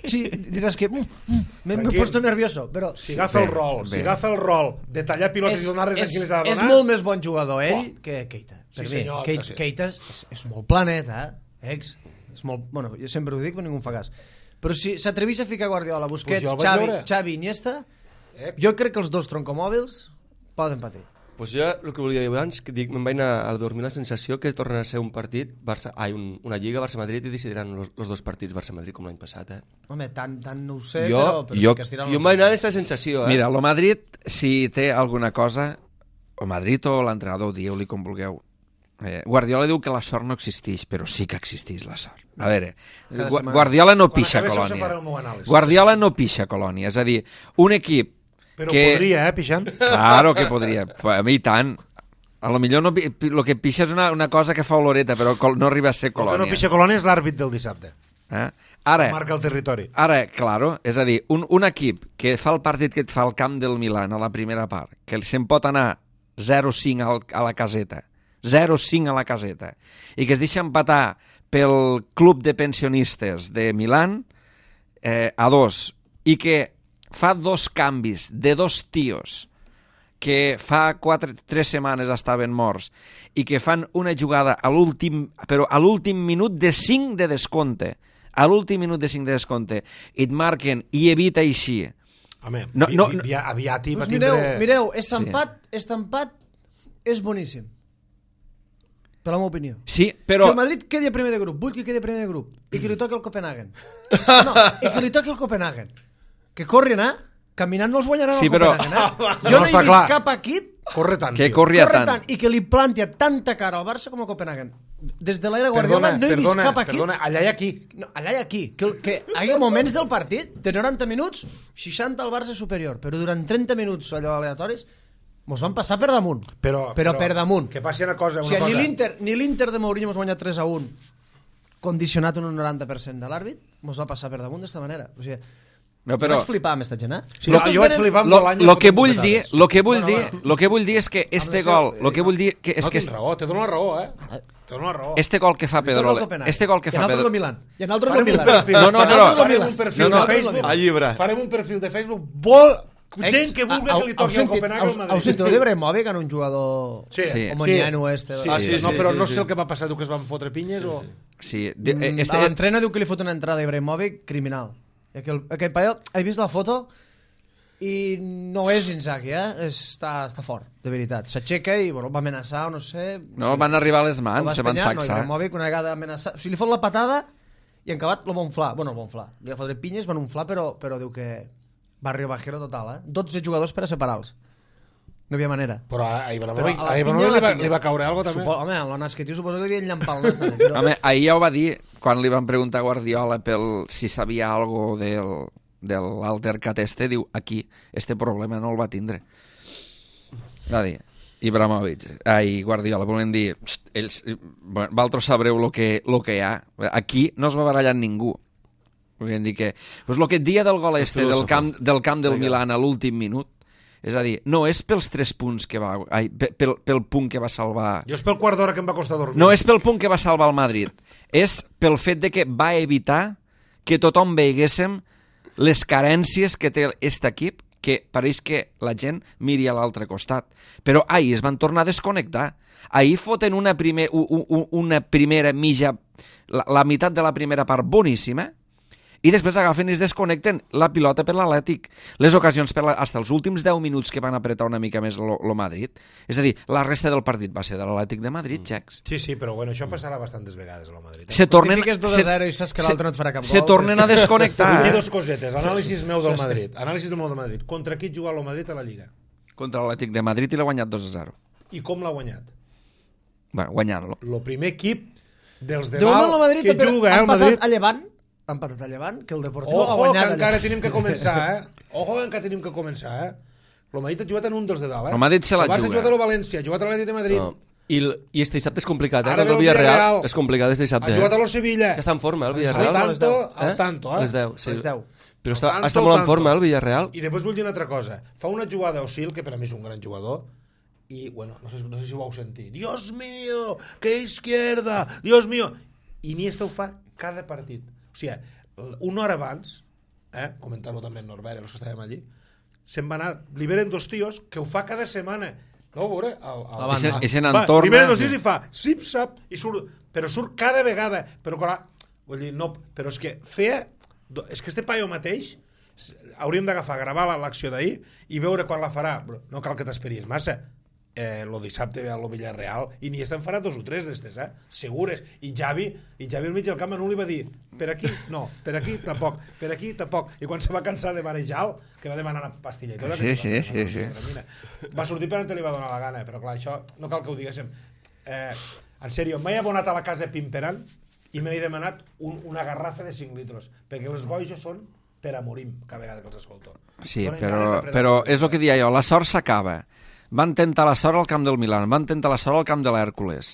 Sí, diràs que... Mm, mm, m'he m'he Tranquil. puesto nervioso, però... Si agafa el Bé, rol, bé. si agafa el rol de tallar pilotes i donar-les a qui les ha de és donar... molt més bon jugador ell que Keita. Sí, Per mi, senyor, Keita, sí. Keita és, és molt planeta, eh? Ex. És molt... Bueno, jo sempre ho dic, però ningú em fa cas. Però si s'atreveix a ficar Guardiola, Busquets, Pues jo el vaig Xavi, veure. Xavi, Iniesta, Eh, jo crec que els dos troncomòbils poden patir. Pues jo el que volia dir abans, que dic, me'n vaig anar a dormir la sensació que torna a ser un partit, Barça, ai, un, una lliga Barça-Madrid i decidiran los, los dos partits Barça-Madrid com l'any passat, eh? Home, tant, tant no ho sé, jo, però, però jo, sí que estiran jo em vaig anar amb aquesta sensació, eh? Mira, lo Madrid, si té alguna cosa, o Madrid o l'entrenador, dieu-li com vulgueu. Eh, Guardiola diu que la sort no existeix, però sí que existeix la sort. A veure, Cada Gu setmana. Guardiola no Quan pixa acabi això, se farà colònia. el meu anàlisi. Guardiola no pixa colònia, és a dir, un equip Però que... podria, eh, pixant? Claro que podria. A mi tant. A lo millor no, pi- pi- lo que pixa és una, una cosa que fa oloreta, però col- no arriba a ser El que colònia. no pixa colònia és l'àrbit del dissabte. Eh? Ara, Marca el territori. ara, claro, és a dir, un, un equip que fa el partit que et fa al camp del Milan a la primera part, que se'n pot anar zero cinc al, a la caseta, zero cinc a la caseta, i que es deixa empatar pel club de pensionistes de Milan eh, a dos, i que fa dos canvis de dos tios que fa quatre, tres setmanes estaven morts i que fan una jugada a l'últim, però a l'últim minut de cinc de descompte, a l'últim minut de cinc de descompte, i et marquen i evita així. Home, No, vi, no, vi, vi, aviat hi va Pues tindre... mireu, mireu, este empat, este empat és boníssim. Per la meva opinió. Sí, Però... però... Que el Madrid quedi a primer de grup, vull que quedi a primer de grup, i que li toqui el Copenhagen. No, i que li toqui el Copenhagen. Que corri a anar, caminant no els guanyaran Sí, el però- Copenhagen, eh? No, Jo no, està he vist clar. cap equip Corre tant, Que tio. corria corre tant. tant i que li planti a tanta cara al Barça com al Copenhagen. Des de l'era Guardiola Perdona, no he vist perdona, cap equip... perdona, allà i aquí. No, allà i aquí. Que, que hi hagi moments del partit, de noranta minuts, seixanta al Barça superior, però durant trenta minuts allò aleatoris, mos van passar per damunt. Però, però, per damunt. Que passi una cosa, O una sigui, ni cosa. l'Inter ni l'Inter de Mourinho mos guanya tres a un condicionat en un noranta per cent de l'àrbit, mos va passar per damunt d'esta manera. O sigui, No, però... però... vaig flipar amb esta gent, eh? Sí, jo, jo vaig flipar amb Lo, Bolaños lo que fotent vull dir, bufetades. lo que vull Bueno, dir, bueno. lo que vull dir és que este seu- gol, lo que vull dir que és No, que tens raó, te dono la raó, eh? Te dono la raó. este gol que fa Li toca el Pedrola, Copenhagen. este gol que I en fa altres del Pedrola, Milan. I en altres del Farem un Milan. perfil. No, no, I en però- altres del Farem Milan. un perfil No, no, de altres del Facebook. Milan. A llibre. Farem un perfil de Facebook. Vol... Ex- Gent que vulgui au- que li au toqui el sentit- Copenhagen au- al Madrid. Heu sentit el d'Ibrahimovic, en un jugador... Sí, Sí. O Moniano este. Sí, Ah, sí, sí, no, sí, però sí, no sí. sé el que va passar, diu que es van fotre pinyes o... sí, de, eh, Mm, este, L'entrena diu que li fot una entrada a Ibrahimovic criminal. I aquell, aquell paio, he vist la foto i no és Inzaghi, eh? Està, està fort, de veritat. S'aixeca i bueno, va amenaçar o no sé... no, van arribar a les El mans, va se van espanyar, no, sacsar. Ibrahimovic una vegada amenaçar... O sigui, li fot la patada i en acabat lo va unflar. Bueno, el va unflar. Li va fotre pinyes, van unflar, però, però diu que barrio bajero total, eh? dotze jugadors per a separar-los. No hi havia manera. Però a Però Ibrahimovic, a la a pinya, Ibrahimovic a li, la va, pinya. li va caure alguna cosa, també? Supo, home, el nas que tio suposo que li havia enllampar el nas també. Però... Home, ahir ja ho va dir quan li van preguntar a Guardiola pel, si sabia algo del, de l'altercat este, diu, aquí, este problema no el va tindre. Va dir. Ibrahimovic, ai, Guardiola, volen dir, ells, bueno, vosaltres sabreu el que, lo que hi ha. Aquí no es va barallar ningú. Volen dir que, pues lo que et dia del gol este del camp, del camp del Milan a l'últim minut, és a dir, no és pels tres punts que va... Ai, pel, pel punt que va salvar... Jo és pel quart d'hora que em va costar dormir. No és pel punt que va salvar el Madrid. És pel fet de que va evitar que tothom veiguéssim les carències que té aquest equip, que pareix que la gent miri a l'altre costat. Però ahir es van tornar a desconnectar. Ahir foten una, primer, una primera mitja... La, la meitat de la primera part boníssima, i després agafen i es desconnecten la pilota per l'Atlètic. Les ocasions per la, fins els últims deu minuts que van apretar una mica més el Madrid. És a dir, la resta del partit va ser de l'Atlètic de Madrid, mm. Xecs. Sí, sí, però bueno, això passarà bastantes vegades a la Madrid. Eh? Se tornen... Si fiques dos a zero i saps que l'altre no et farà cap gol... Se tornen a desconnectar. Vull dir dos cosetes. Anàlisis meu del Madrid. Anàlisis del meu del Madrid. Contra qui juga el Madrid a la Lliga? Contra l'Atlètic de Madrid i l'ha guanyat dos a zero. I com l'ha guanyat? Bueno, guanyant-lo. El primer equip dels de Déu dalt Madrid, que juga, eh, el Madrid... a Llevant. Han patat a Llevant, que el Deportivo Ojo, ha guanyat. que encara tenim que començar, eh? Ojo, que encara tenim que començar, eh? El Madrid ha jugat en un dels de dalt, eh? El Madrid se la juga. El Barça ha jugat a el València, ha jugat a l'Atlètic de Madrid. No. I, el, I este dissabte és complicat, eh? Ara El ve del el Villarreal Villarreal. és complicat este dissabte. Ha jugat eh? a lo Sevilla. Que està en forma, el Al Villarreal. tanto, eh? al tanto, eh? Les deu, sí. Les deu. Però està, Tanto, està molt en tanto. forma, eh, el Villarreal. I després vull dir una altra cosa. Fa una jugada Osil, que per a mi és un gran jugador, i, bueno, no sé, no sé si ho vau sentir. Dios mío, que izquierda, Dios mío. Iniesta ho fa cada partit. O sigui, una hora abans, eh, comentar-ho també en Norbert, els que estàvem allí, se'n va anar, liberen dos tios que ho fa cada setmana. No ho veure? El, el, I se, i se va, n'entorna... liberen dos tios i fa zip-zap, i surt, però surt cada vegada. Però, clar, vull dir, no, però és que feia... És que este paio mateix hauríem d'agafar, gravar l'acció d'ahir i veure quan la farà. No cal que t'esperis massa. Eh, lo dissabte ve a lo Villarreal i ni estan farà dos o tres d'estes, eh? Segures. I Javi, i Javi al mig del camp a un li va dir per aquí, no, per aquí tampoc, per aquí tampoc. I quan se va cansar de marejar-lo, que va demanar una pastilla i tot, sí, sí, sí, sí. va sortir per on te li va donar la gana, però clar, això no cal que ho diguéssim. Eh, en sèrio, m'he abonat a la casa Pimperan i m'he demanat un, una garrafa de cinc litros, perquè els goijos són per a morir cada vegada que els escolto. Sí, Donen però, ganes de però prendre- és el que deia jo, la sort s'acaba. Van tentar la sort al camp del Milan, van tentar la sort al camp de l'Hèrcules,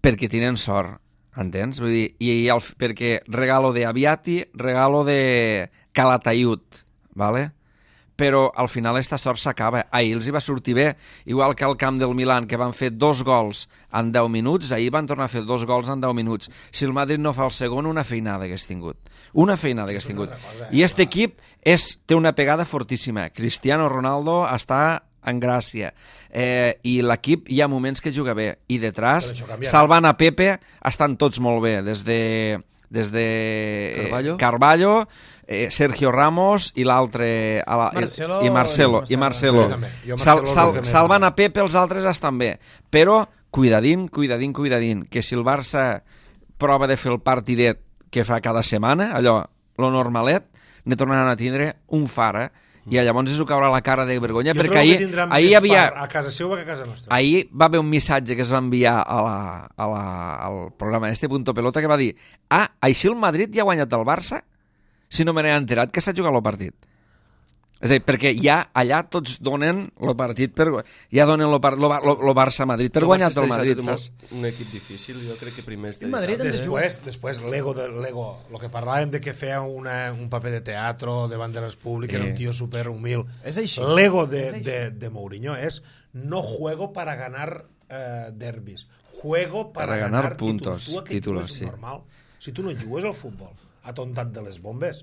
perquè tenen sort, entens? Vull dir, i, i el, perquè regalo de Aviati, regalo de Calatayud, ¿vale? Però al final esta sort s'acaba. Ahir els hi va sortir bé, igual que al camp del Milan, que van fer dos gols en deu minuts, ahir van tornar a fer dos gols en deu minuts. Si el Madrid no fa el segon, una feinada hagués tingut. Una feinada hagués tingut. I aquest equip és, té una pegada fortíssima. Cristiano Ronaldo està en gràcia. Eh, I l'equip hi ha moments que juga bé. I detrás, Però això canviarà. salvant a Pepe, estan tots molt bé. Des de, des de Carballo. Carballo, eh, Sergio Ramos i l'altre... a la- Marcelo I Marcelo. no I està- Marcelo. Jo també. Jo Sal, Marcelo sal, el que més salvant m'agrada. a Pepe, els altres estan bé. Però cuidadín, cuidadín, cuidadín, que si el Barça prova de fer el partidet que fa cada setmana, allò, lo normalet, ne tornaran a tindre un fara, i llavors es ho caurà la cara de vergonya, Jo perquè trobo que ahir, tindran ahir més hi havia... far a casa seva que a casa nostra. Ahir va haver un missatge que es va enviar a la, a la, al programa este Punto Pelota que va dir: ah, així el Madrid ja ha guanyat el Barça? Si no me n'he enterat que s'ha jugat el partit. És a dir, perquè ja allà tots donen el partit per... Ja donen el, par, lo, lo, lo Barça-Madrid per guanyar el Madrid, saps? Un equip difícil, jo crec que primer este I Madrid dissabte. Després, després l'ego, de, l'ego, lo que parlàvem de que feia una, un paper de teatro davant de les públiques, era un tio super humil. És així. L'ego de, És així. de, de Mourinho és no juego para ganar eh, derbis, juego para, Para ganar ganar puntos, títulos. Tu a què títulos, jugues sí. normal? Si tu no jugues al futbol, atontat de les bombes.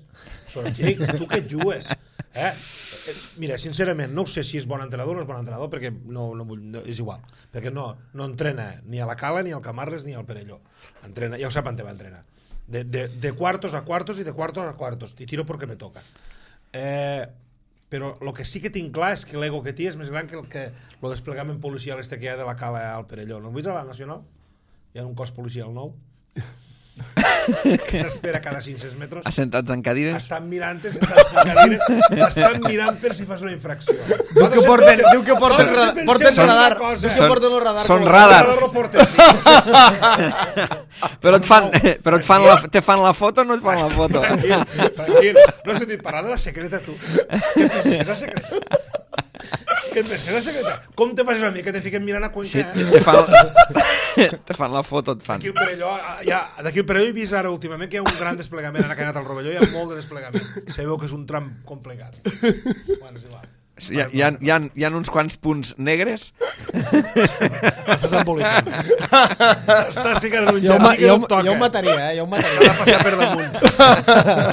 Però, Xic, tu què jugues? Eh? Eh, Mira, sincerament, no sé si és bon entrenador o no és bon entrenador, perquè no, no, vull, no, és igual. Perquè no, no entrena ni a la Cala, ni al Camarles, ni al Perelló. Entrena, ja ho sap on te va entrenar. De, de, de cuartos a cuartos i de cuartos a cuartos. I tiro perquè me toca. Eh, però el que sí que tinc clar és que l'ego que té és més gran que el que el desplegament policial este que hi ha de la Cala al Perelló. No ho vist a la Nacional? Hi ha un cos policial nou que t'espera cada cinc-cents metres. Assentats en cadires. Estan mirant, sentats en cadires, estan mirant per si fas una infracció. Diu que porten, diu que porten, ra- porten radar. Diu que Són- porten el radar. són com a- radar. Radar no porten. Però et fan, però et fan la, te fan la foto o no et fan la foto? Tranquil, tranquil. No has sentit parlar de la secreta, tu. Què penses? És la secreta? Que et deixes la secretària? Com te passes a mi que te fiquen mirant a Cuenca? Sí, eh? te fan, te fan la foto, et fan. D'aquí el Perelló, ja, d'aquí el Perelló he vist ara últimament que hi ha un gran desplegament, ara que ha anat al Rovelló hi ha molt de desplegament. Se veu que és un tram complicat. Bueno, és igual. Hi ha, hi, ha, hi, ha, hi ha uns quants punts negres. Estàs embolicant. Estàs ficant en un Jo, jardí que jo, no et toca. jo ho mataria, eh? Jo ho S'ha mataria. de passar per damunt.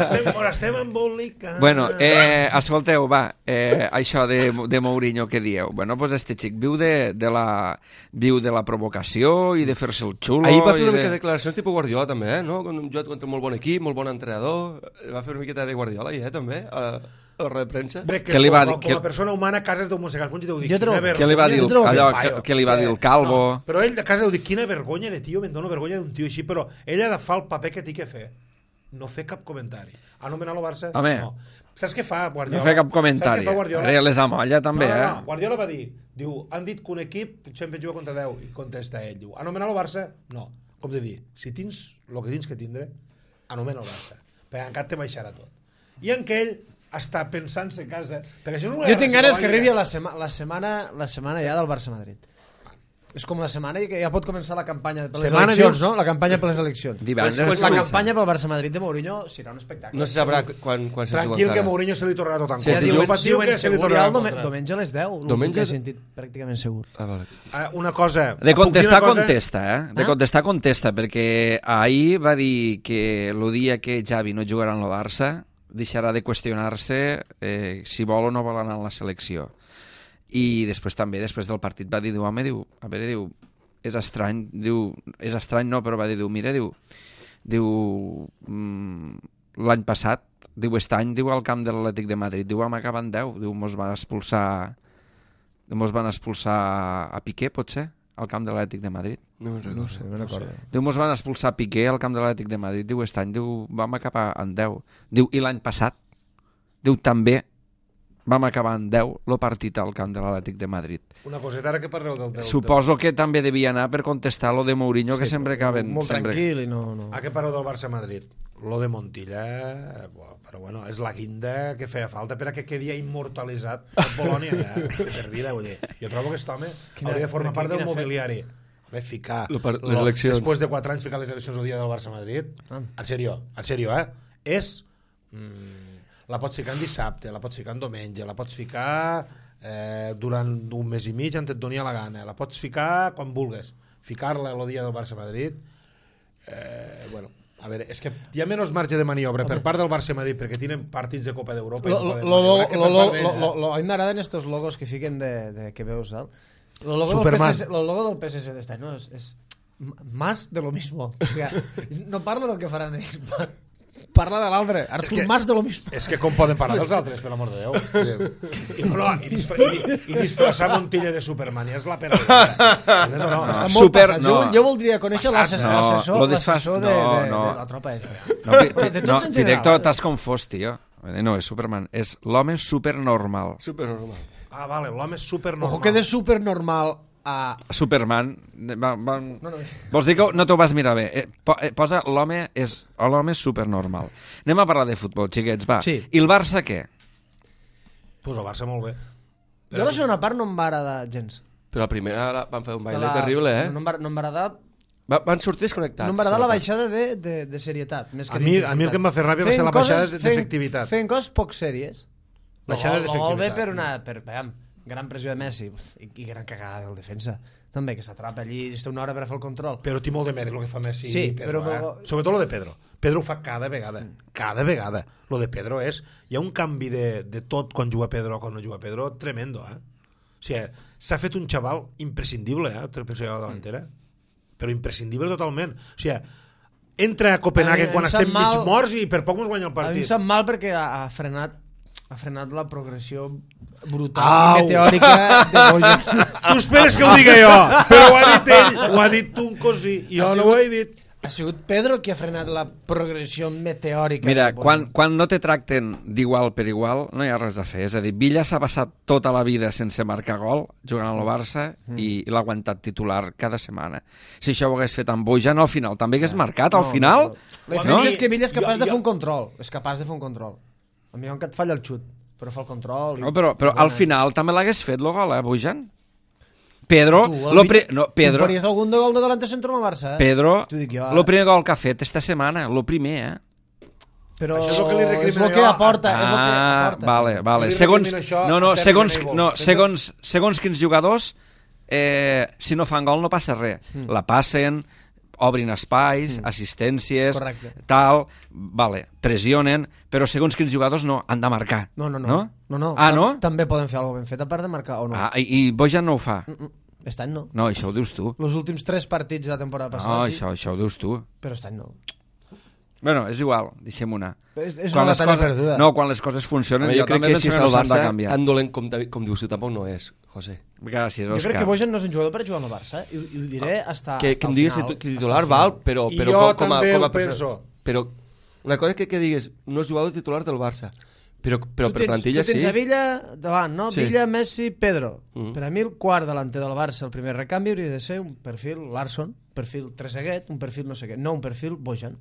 estem, on estem embolicant. Bueno, eh, escolteu, va, eh, això de, de Mourinho que dieu. Bueno, pues este xic viu de, de, la, viu de la provocació i de fer-se el xulo. Ahir va fer i una de... mica de declaracions tipus Guardiola, també, eh? No? Un joc contra un molt bon equip, molt bon entrenador. Va fer una miqueta de Guardiola, eh? També, a, a la roda de premsa. Bé, que Què li va com, dir- com què- a persona humana a casa és d'un mossegant. Jo dic, Jo trobo- quina Què li va dir, Jo el, trobo que- allò, paio. que, que li va dir el Calvo? No, però ell a casa deu dir, quina vergonya de tio, me'n dóna vergonya d'un tio així, però ell ha de fer el paper que té que fer. No fer cap comentari. Anomenar el Barça? Home. No. Saps què fa Guardiola? No fer cap comentari. Saps què fa Guardiola? Ara les amolla, també, no, no, eh? no. Guardiola va dir, diu, han dit que un equip sempre juga contra deu, i contesta ell, diu, anomenar el Barça? No. Com de dir, si tens el que tens que tindre, anomena el Barça. Perquè encara te baixarà tot. I en què ell està pensant-se a casa... Perquè això és una Jo tinc ganes que guerra arribi a psicològica. la, sema la, setmana, la setmana ja del Barça-Madrid. És com la setmana i que ja pot començar la campanya per les Setmana, eleccions, dius? no? La campanya per les eleccions. Divendres. Quan La comença? campanya pel Barça-Madrid de Mourinho serà un espectacle. No se sabrà quan, quan se juga Tranquil, que encara. Mourinho se li tornarà tot en Sí, contra. diu- Diu, patiu que se li segur, ja tornarà el en dome contra. diumenge a les deu. Diumenge- Diumenge... he sentit pràcticament segur. Ah, vale. Eh, una cosa... De puc dir contestar, una cosa? contesta, eh? De Ah? contestar, contesta, perquè ahir va dir que el dia que Xavi no jugarà en el Barça deixarà de qüestionar-se eh, si vol o no vol anar a la selecció. I després també, després del partit, va dir, diu, home, diu, a veure, diu, és estrany, diu, és estrany no, però va dir, diu, mira, diu, diu, mm, l'any passat, diu, aquest any, diu, al camp de l'Atlètic de Madrid, diu, vam acabar en deu, diu, mos van expulsar, mos van expulsar a Piqué, potser, al camp de l'Atlètic de Madrid. No me'n recordo. No sé, no recordo. Diu, mos van expulsar Piqué al camp de l'Atlètic de Madrid. Diu, aquest any, diu, vam acabar en deu. Diu, i l'any passat, diu, també vam acabar en deu el partit al camp de l'Atlètic de Madrid. Una coseta, ara que parleu del... del Suposo que també devia anar per contestar lo de Mourinho, que sempre acaben... Molt sempre... tranquil i no... no. A què pareu del Barça-Madrid? Lo de Montilla, eh, però bueno, és la guinda que feia falta per a que quedi immortalitzat el Polònia ja, de per vida, vull dir. Jo trobo que aquest home Quina- hauria de formar quina- part del quina fe- mobiliari. Home, ficar... Lo par- les lo- eleccions. Després de quatre anys ficar les eleccions el dia del Barça-Madrid, Ah. en sèrio, en sèrio, eh? És... Mm, la pots ficar en dissabte, la pots ficar en diumenge, la pots ficar eh, durant un mes i mig on et doni la gana, la pots ficar quan vulguis. Ficar-la el dia del Barça-Madrid... Eh, bueno, a veure, és que hi ha menys marge de maniobra per part del Barça-Madrid perquè tenen partits de Copa d'Europa i Lo, no lo, poden lo, maniobrar, que lo, per lo, part d'ell, lo, eh? lo, lo, a mi m'agraden estos logos que fiquen de, de que veus, ¿sabes? Lo logo, del Superman. P S S, lo logo del P S S d'este any, no? És, és m- más de lo mismo. O sea, no parla del que faran ells, pa- parla de l'altre. Artur, que- más de lo mismo. És que com poden parlar dels altres, per l'amor de Déu. I, no, no, i, disfra i, i disfressar Montilla de Superman, ja és la pena. Entens o no? Està No, molt super- passat. no. Jo, jo voldria conèixer l'assessor No, l'assessor lo desfas- l'assessor de, no, de, no. de la tropa esta. No, pi- De tots no en general. director, t'has confós, tio. No, és Superman, és l'home supernormal. Supernormal. Ah, vale, l'home és supernormal. Ojo que de supernormal a... Superman... Va, va... No, no. Vols dir que no t'ho vas mirar bé? Eh, po, eh, posa l'home és l'home és supernormal. Anem a parlar de futbol, xiquets, va. Sí. I el Barça què? Pues el Barça molt bé. Jo la segona part no em va agradar gens. Però la primera la- van fer un baile La- terrible, eh? No em va, no em va agradar, Va, van sortir desconnectats. no em va agradar la sobretot. baixada de, de, de serietat. Més que A mi- d'intensitat. a mi el que em va fer ràbia va Feien ser la baixada coses- d'efectivitat. Feien, feien coses poc sèries. Baixada Lo gol- lo gol ve d'efectivitat. per una... Per, veiem, gran pressió de Messi i, i gran cagada del defensa. També, que s'atrapa allí i està una hora per a fer el control. Però té molt de mèrit el que fa Messi Sí, i Pedro, però- eh? Sobretot lo de Pedro. Pedro ho fa cada vegada. Cada vegada. Lo de Pedro és... Hi ha un canvi de, de tot quan juga Pedro o quan no juga Pedro tremendo, eh? O sigui, s'ha fet un xaval imprescindible, eh? Per a la delantera. Però imprescindible totalment. O sigui, entra a Copenhague A mi- quan em sap estem mal- mig morts i per poc mos guanya el A mi em partit. sap mal perquè ha, ha frenat ha frenat la progressió brutal Au. i meteòrica de Bojan. Tu esperes que ho diga jo, però ho ha dit ell, ho ha dit tu un cosí, i jo Ha no sigut- ho he dit. Ha sigut Pedro qui ha frenat la progressió meteòrica. Mira, de Bojan. quan, quan no te tracten d'igual per igual, no hi ha res a fer. És a dir, Villa s'ha passat tota la vida sense marcar gol, jugant al Barça, Mm. i, i l'ha aguantat titular cada setmana. Si això ho hagués fet amb Bojan, al final també hagués marcat, al No, final... La No? diferència és que Villa és Jo- capaç de jo- fer un control. És capaç de fer un control. A mi que et falla el xut. però fa el control. No, però, però i, al final també l'hagués fet el gol, eh, Bojan? Pedro, Tu, lo el pri... vi- no, Tu Pedro, faries algun de gol de delante centro al Barça, eh? Pedro, T'ho dic jo, eh? el primer gol que ha fet esta setmana, el primer, eh? Però Això és el que li recrimino és el que jo. aporta, és el que Ah, aporta. vale, vale. Li Segons, recrimino això no, no, a Terry segons, Neighbors. no, Penses- segons, segons quins jugadors, eh, si no fan gol no passa res. Mm. La passen, obrin espais, assistències, Correcte. tal, vale, pressionen, però segons quins jugadors no, han de marcar. No, no, no. No? no, no. Ah, Tam- no? També poden fer alguna cosa ben fet, a part de marcar o no. Ah, i, i Bojan no ho fa. Mm, mm. Aquest any no. No, això ho dius tu. Els últims tres partits de la temporada No, passada, sí, això, això ho dius tu. però aquest any no. Bueno, és igual, deixem una. És, és Quan una les batalla coses, perduda. no, quan les coses funcionen, jo jo, crec també que penso si que està no el s'han de Barça, canviar. tan dolent com, com dius tu tampoc no és, José. Gràcies, Jo Òscar. crec que Bojan no és un jugador per jugar al Barça, eh? I, i ho diré hasta, Que, hasta que em el digues final. que hasta el titular final. val, però, I però jo com, com, a, també com a ho penso. persona. Però una cosa que, que digues, no és jugador titular del Barça, però, però Tu per tens, plantilla tu tens sí. a Villa davant, no? Sí. Villa, Messi, Pedro. Mm. Per a mi el quart delanter del Barça, el primer recanvi, hauria de ser un perfil Larsson, perfil Trezeguet, un perfil no sé què, no un perfil Bojan.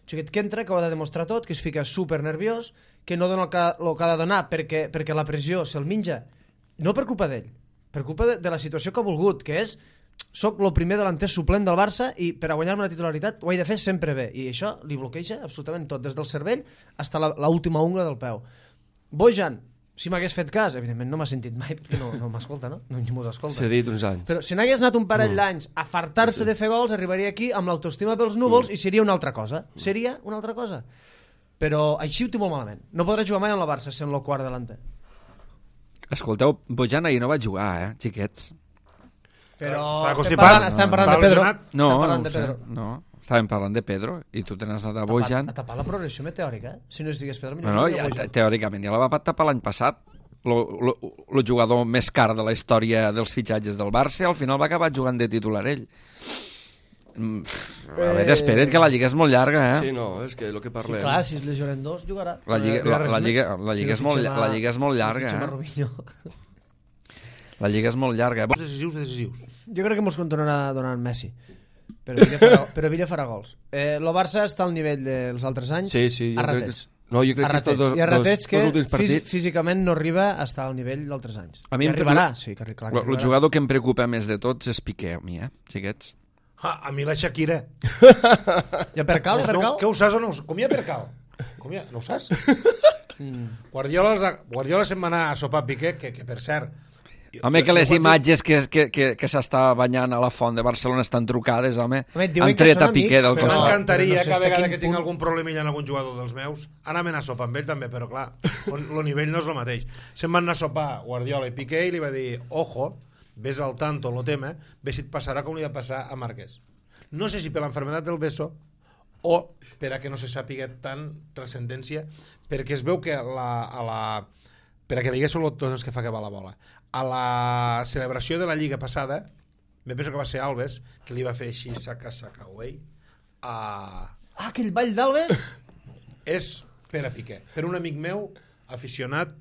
Un xiquet que entra, que ho ha de demostrar tot, que es fica super nerviós, que no dona el que, el que ha de donar perquè, perquè la pressió se'l menja, no per culpa d'ell, per culpa de, de la situació que ha volgut, que és soc el primer delanter suplent del Barça i per a guanyar-me la titularitat ho he de fer sempre bé, i això li bloqueja absolutament tot, des del cervell fins a l'última ungla del peu. Bojan, si m'hagués fet cas, evidentment no m'ha sentit mai perquè no, no m'escolta, no? No mos escolta. S'ha dit uns anys. Però si n'hagués anat un parell d'anys a fartar-se de fer gols, arribaria aquí amb l'autoestima pels núvols i seria una altra cosa. Seria una altra cosa. Però així ho té molt malament. No podrà jugar mai amb la Barça sent el quart delanter. Escolteu, Bojan ahir no va jugar, eh, xiquets? Però Està estem constipat? parlant, estem parlant Està de Pedro. lesionat? No, estem no parlant ho de sé, Pedro. no. Estàvem parlant de Pedro i tu te n'has anat a Tapar- Bojan. A tapar la progressió meteòrica, eh? Si no es digués Pedro, No, millor no, jugaria ja, Bojan. teòricament ja la va tapar l'any passat. El jugador més car de la història dels fitxatges del Barça, al final va acabar jugant de titular ell. Mm, A veure, espera't, que la lliga és molt llarga, eh? Sí, no, és que el que Sí, parlem... clar, si es lesionen dos, jugarà. La lliga, No hi ha la, res la, més. lliga, la, lliga és Si no molt, fitxem a- la lliga és molt si no llarga, fitxem a eh? Robinho. La lliga és molt llarga. Bons decisius, decisius. Jo crec que mos continuarà donant Messi. Però Villa farà, però Villa farà gols. Eh, el Barça està al nivell dels altres anys Sí, sí, jo a crec que... ratets. No, jo crec A que estos ratets. dos, I a ratets dos, que dos últims fís, partits... físicament no arriba a estar al nivell d'altres anys. A mi I em arribarà, preocupa- sí, que, clar, que El, el arribarà. jugador que em preocupa més de tots és Piqué, a mi, eh, xiquets? Ah, a mi la Shakira. Ja per cal, per no, cal? què ho saps o no ho saps? Com hi ha per cal? Com hi ha? No ho saps? Guardiola, Guardiola se'n va anar a sopar a Piqué, que, que per cert... Home, que les jo quan dic- imatges que, que, que, que s'està banyant a la font de Barcelona estan trucades, home. Home, diuen Han que tret són a Piqué amics, del Però No, costat. però no m'encantaria sé que a fins a vegada quin que tinc punt. algun problemilla en algun jugador dels meus anar-me'n a sopar amb ell també, però clar, el nivell no és el mateix. Se'n van anar a sopar Guardiola i Piqué i li va dir, ojo, ves al tanto, lo tema, ves si et passarà com li va passar a Márquez. No sé si per l'enfermedad del beso o per a que no se sàpiga tant transcendència, perquè es veu que la, a la, per a que veiés els tots que fa que va la bola, a la celebració de la Lliga passada, me penso que va ser Alves, que li va fer així, saca, saca, away, a... Ah, aquell ball d'Albes? és per a Piqué, per un amic meu aficionat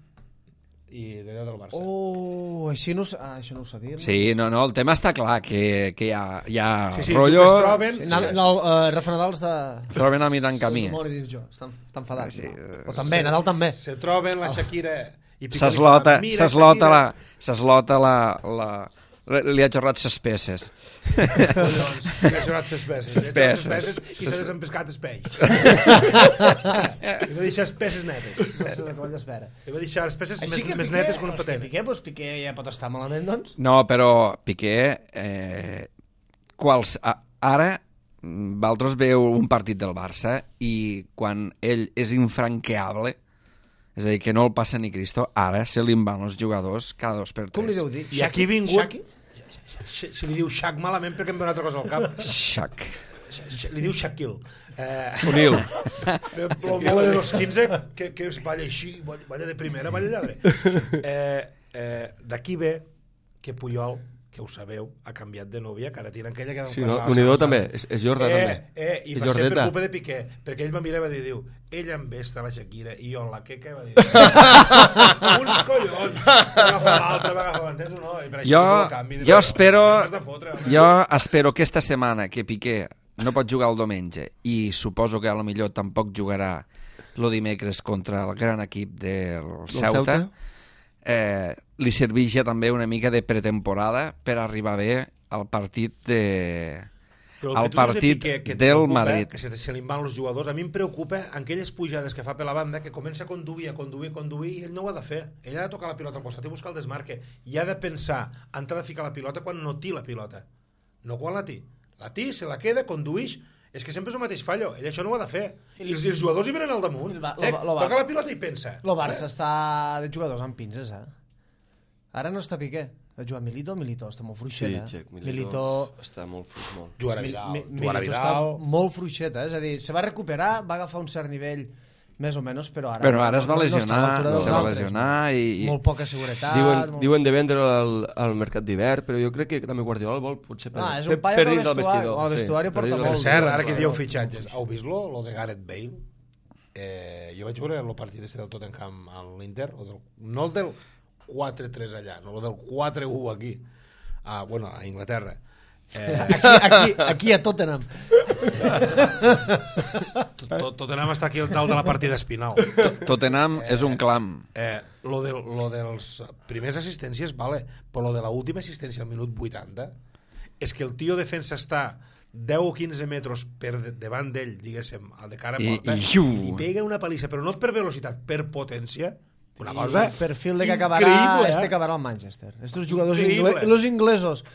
i d'allò del Barça. Oh, així no, ho sa- ah, això no ho sabia. no? Sí, no, no, el tema està clar, que, que hi ha, hi ha Sí, sí, rotllo... es troben... Sí, no, no, uh, Rafa Nadal està... Es troben a mi tant camí. Molt dins jo, està, està enfadat. Sí, no? O també, Nadal també. Se troben la Shakira i Piqué li S'eslota, fa, "Mira, s'eslota la... Shakira". S'eslota la, la... Li ha xerrat ses peces. Collons, sí, ha jurat ses peces. Ses Ha jurat peces. ses peces i s'ha desempescat els peix. Li va deixar les peces netes. No sé de com espera. Li va deixar les peces més, que més Piqué- netes que una doncs patena. Piqué, doncs Piqué ja pot estar malament, doncs. No, però Piqué... Eh, quals, a, ara Valtros veu un partit del Barça i quan ell és infranqueable, és a dir, que no el passa ni Cristo, ara se li en van els jugadors cada dos per tres. Com li deu dir? I aquí ha vingut... Shaki? Se, se li diu Shaq malament perquè em ve una altra cosa al cap. Xac. Li diu Shaquille. Eh, Unil. el mole de los quinze que, que balla així, balla de primera, balla lladre. Eh, eh, D'aquí ve que Puyol, que ho sabeu, ha canviat de nòvia, que ara tira aquella que... Sí, no? Unidor també, és, és Jorda eh, també. Eh, I és va ser per Jordeta. culpa de Piqué, perquè ell va mirar i va dir, diu, ella em ve està la Shakira i jo en la queca, va dir, uns collons, va agafar l'altre, va agafar, m'entens o no? I per això Jo, no el canvi, jo espero, m'has de fotre, home. jo espero que esta setmana que Piqué no pot jugar el diumenge i suposo que a lo millor tampoc jugarà el dimecres contra el gran equip del Ceuta, eh, li serveix ja també una mica de pretemporada per arribar bé al partit de... Però al partit que, que del Madrid. Que se, se li van els jugadors. A mi em preocupa aquelles pujades que fa per la banda, que comença a conduir, a conduir, a conduir, i ell no ho ha de fer. Ell ha de tocar la pilota al costat i buscar el desmarque. I ha de pensar, entrar a ficar la pilota quan no té la pilota. No quan la té. La té, se la queda, conduix... És que sempre és el mateix fallo. Ell això no ho ha de fer. I els, i els jugadors hi venen al damunt. Ba- Eh, lo- lo- toca la pilota i pensa. El Barça està de jugadors amb pinces, eh? Ara no està Piqué. Ha jugat Milito, Milito està molt Sí, fluixet, eh? Check, Milito, Milito... està molt fluix, molt. Jugarà Mi- Vidal. Mi- Jugarà Milito està Vidal. molt fluixet, eh? És a dir, se va recuperar, va agafar un cert nivell més o menys, però ara... Bueno, ara es va no- no està a lesionar, l'altura dels se va altres, lesionar no? i... i... Molt poca seguretat... Diuen, molt... diuen de vendre al, al mercat d'hivern, però jo crec que també Guardiola el vol potser per, Ah, és per, un paio per que dins al del vestuari- vestidor. al vestuari per porta dins del molt. Per vestidor. cert, ara que Claro. dieu fitxatges, heu vist lo, lo de Gareth Bale? Eh, jo vaig veure el partit este del Tottenham a l'Inter, o del, no el del quatre tres allà, no el del quatre u aquí, ah, bueno, a Inglaterra. Eh, Aquí, aquí, aquí a Tottenham. tot, Tottenham està aquí al tal de la partida espinal. Tottenham és un clam. Eh, lo, de, lo dels primers assistències, vale, però lo de l'última assistència al minut vuitanta és que el tio defensa està deu o quinze metres per de, davant d'ell, diguéssim, de cara a I- porta, i- i, li pega una palissa, però no per velocitat, per potència, una cosa El perfil de que acabarà, increïble, eh? este acabarà al Manchester. Estos jugadors Increïble. inglesos, los inglesos,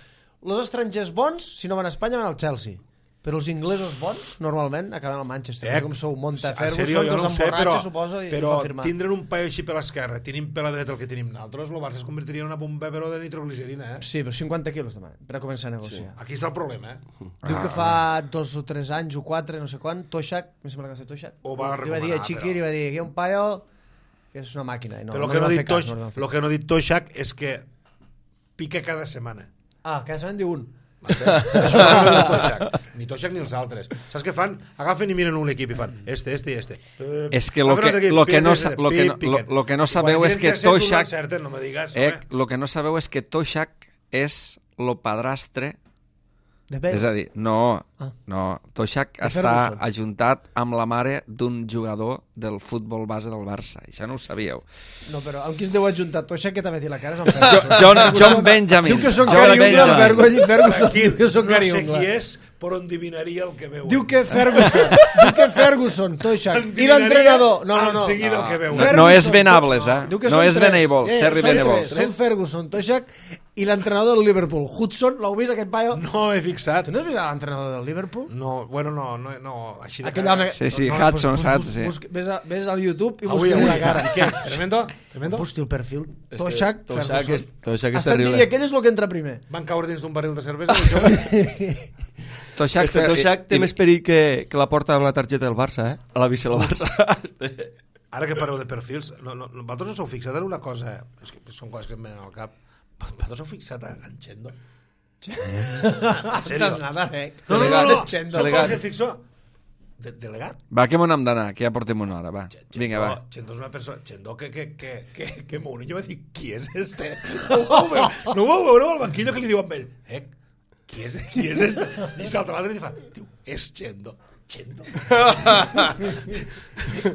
los estrangers bons, si no van a Espanya, van al Chelsea. Però els inglesos bons, normalment, acaben al Manchester. Eh, Com sou Monta en Ferguson, sèrio, que jo els no ho sé, emborratxa, però, suposo, i però els fa firmar. tindren un paio així per l'esquerra, tenim per la dreta el que tenim nosaltres, el Barça es convertiria en una bomba però de nitroglicerina, eh? Sí, però cinquanta quilos demanen per a començar a negociar. Aquí està el problema, eh? Diu que fa dos o tres anys o quatre, no sé quan, Toshak, em sembla que va ser Toshak, Ho va li va dir a recomanar, Chiqui, però- li va dir, aquí hi ha un paio que és una màquina. I no, però el no que li no, van ha fer dit cas, Tosh, no li van fer lo que no ha dit Toshak és que pica cada setmana. Ah, cada setmana en diu un. Això no ho diu Toshak. Ni Toshak ni els altres. Saps què fan? Agafen i miren un equip i fan este, este i este. És que lo que, lo que, no, sa- lo que, no, lo, lo que no sabeu és que Toshak... No me digues, Eh, home. lo que no sabeu és que Toshak és lo padrastre. De Bale. És a dir, no, Ah. no, Toshak De està Ferguson. ajuntat amb la mare d'un jugador del futbol base del Barça. Això no ho sabíeu. No, però amb qui es deu ajuntar Toshak, que també té la cara, és amb Jo, Ferguson. John, John Benjamin. Diu que són John Gary Ungla, Benjamin. Ferguson, Ferguson. Aquí Diu que són no Gary sé Ungla. qui és, però endevinaria el que veu. Diu que Ferguson, diu que Ferguson, Toshak, i l'entrenador... No, no, no. En seguida el que veu. No, no és Venables, eh? Diu que No són és tres. Venables, Eh, Terry són Venables. tres. Són Ferguson, Toshak i l'entrenador del Liverpool. Hudson, l'heu vist, aquest paio? No he fixat. Tu no has vist l'entrenador del Liverpool? No, bueno, no, no, no així de Aquell cara. home... Sí, sí, no, Hudson, bus- saps? bus- Sí. bus- Ves, a, ves al YouTube i Avui, busca avui. una cara. I què? Tremendo? Tremendo? Hosti, el perfil. És que Toshak, Toshak Ferguson. és- Toshak és Estan dient, terrible. I aquell és el que entra primer. Van caure dins d'un barril de cervesa i jo... Toshak, Este Toshak té i- més perill que, que la porta amb la targeta del Barça, eh? A la bici del Barça. Este- Ara que parleu de perfils, no, no, no, vosaltres us heu fixat en una cosa, és que són coses que em venen al cap, vosaltres heu fixat en Chendo? En sèrio? Estàs nada, eh? No, no, no, no. Chendo. Són coses que em fixo. De, delegat? Va, que m'ho n'hem d'anar, que ja portem una hora, va. Vinga, va. Chendo és una persona... Chendo que, que, que, que, que Mourinho va dir, qui és este? No ho vau veure, no ho vau veure al banquillo que li diu amb ell. Eh, qui és, qui és este? I salta l'altre i fa, diu, és Chendo. Chendo.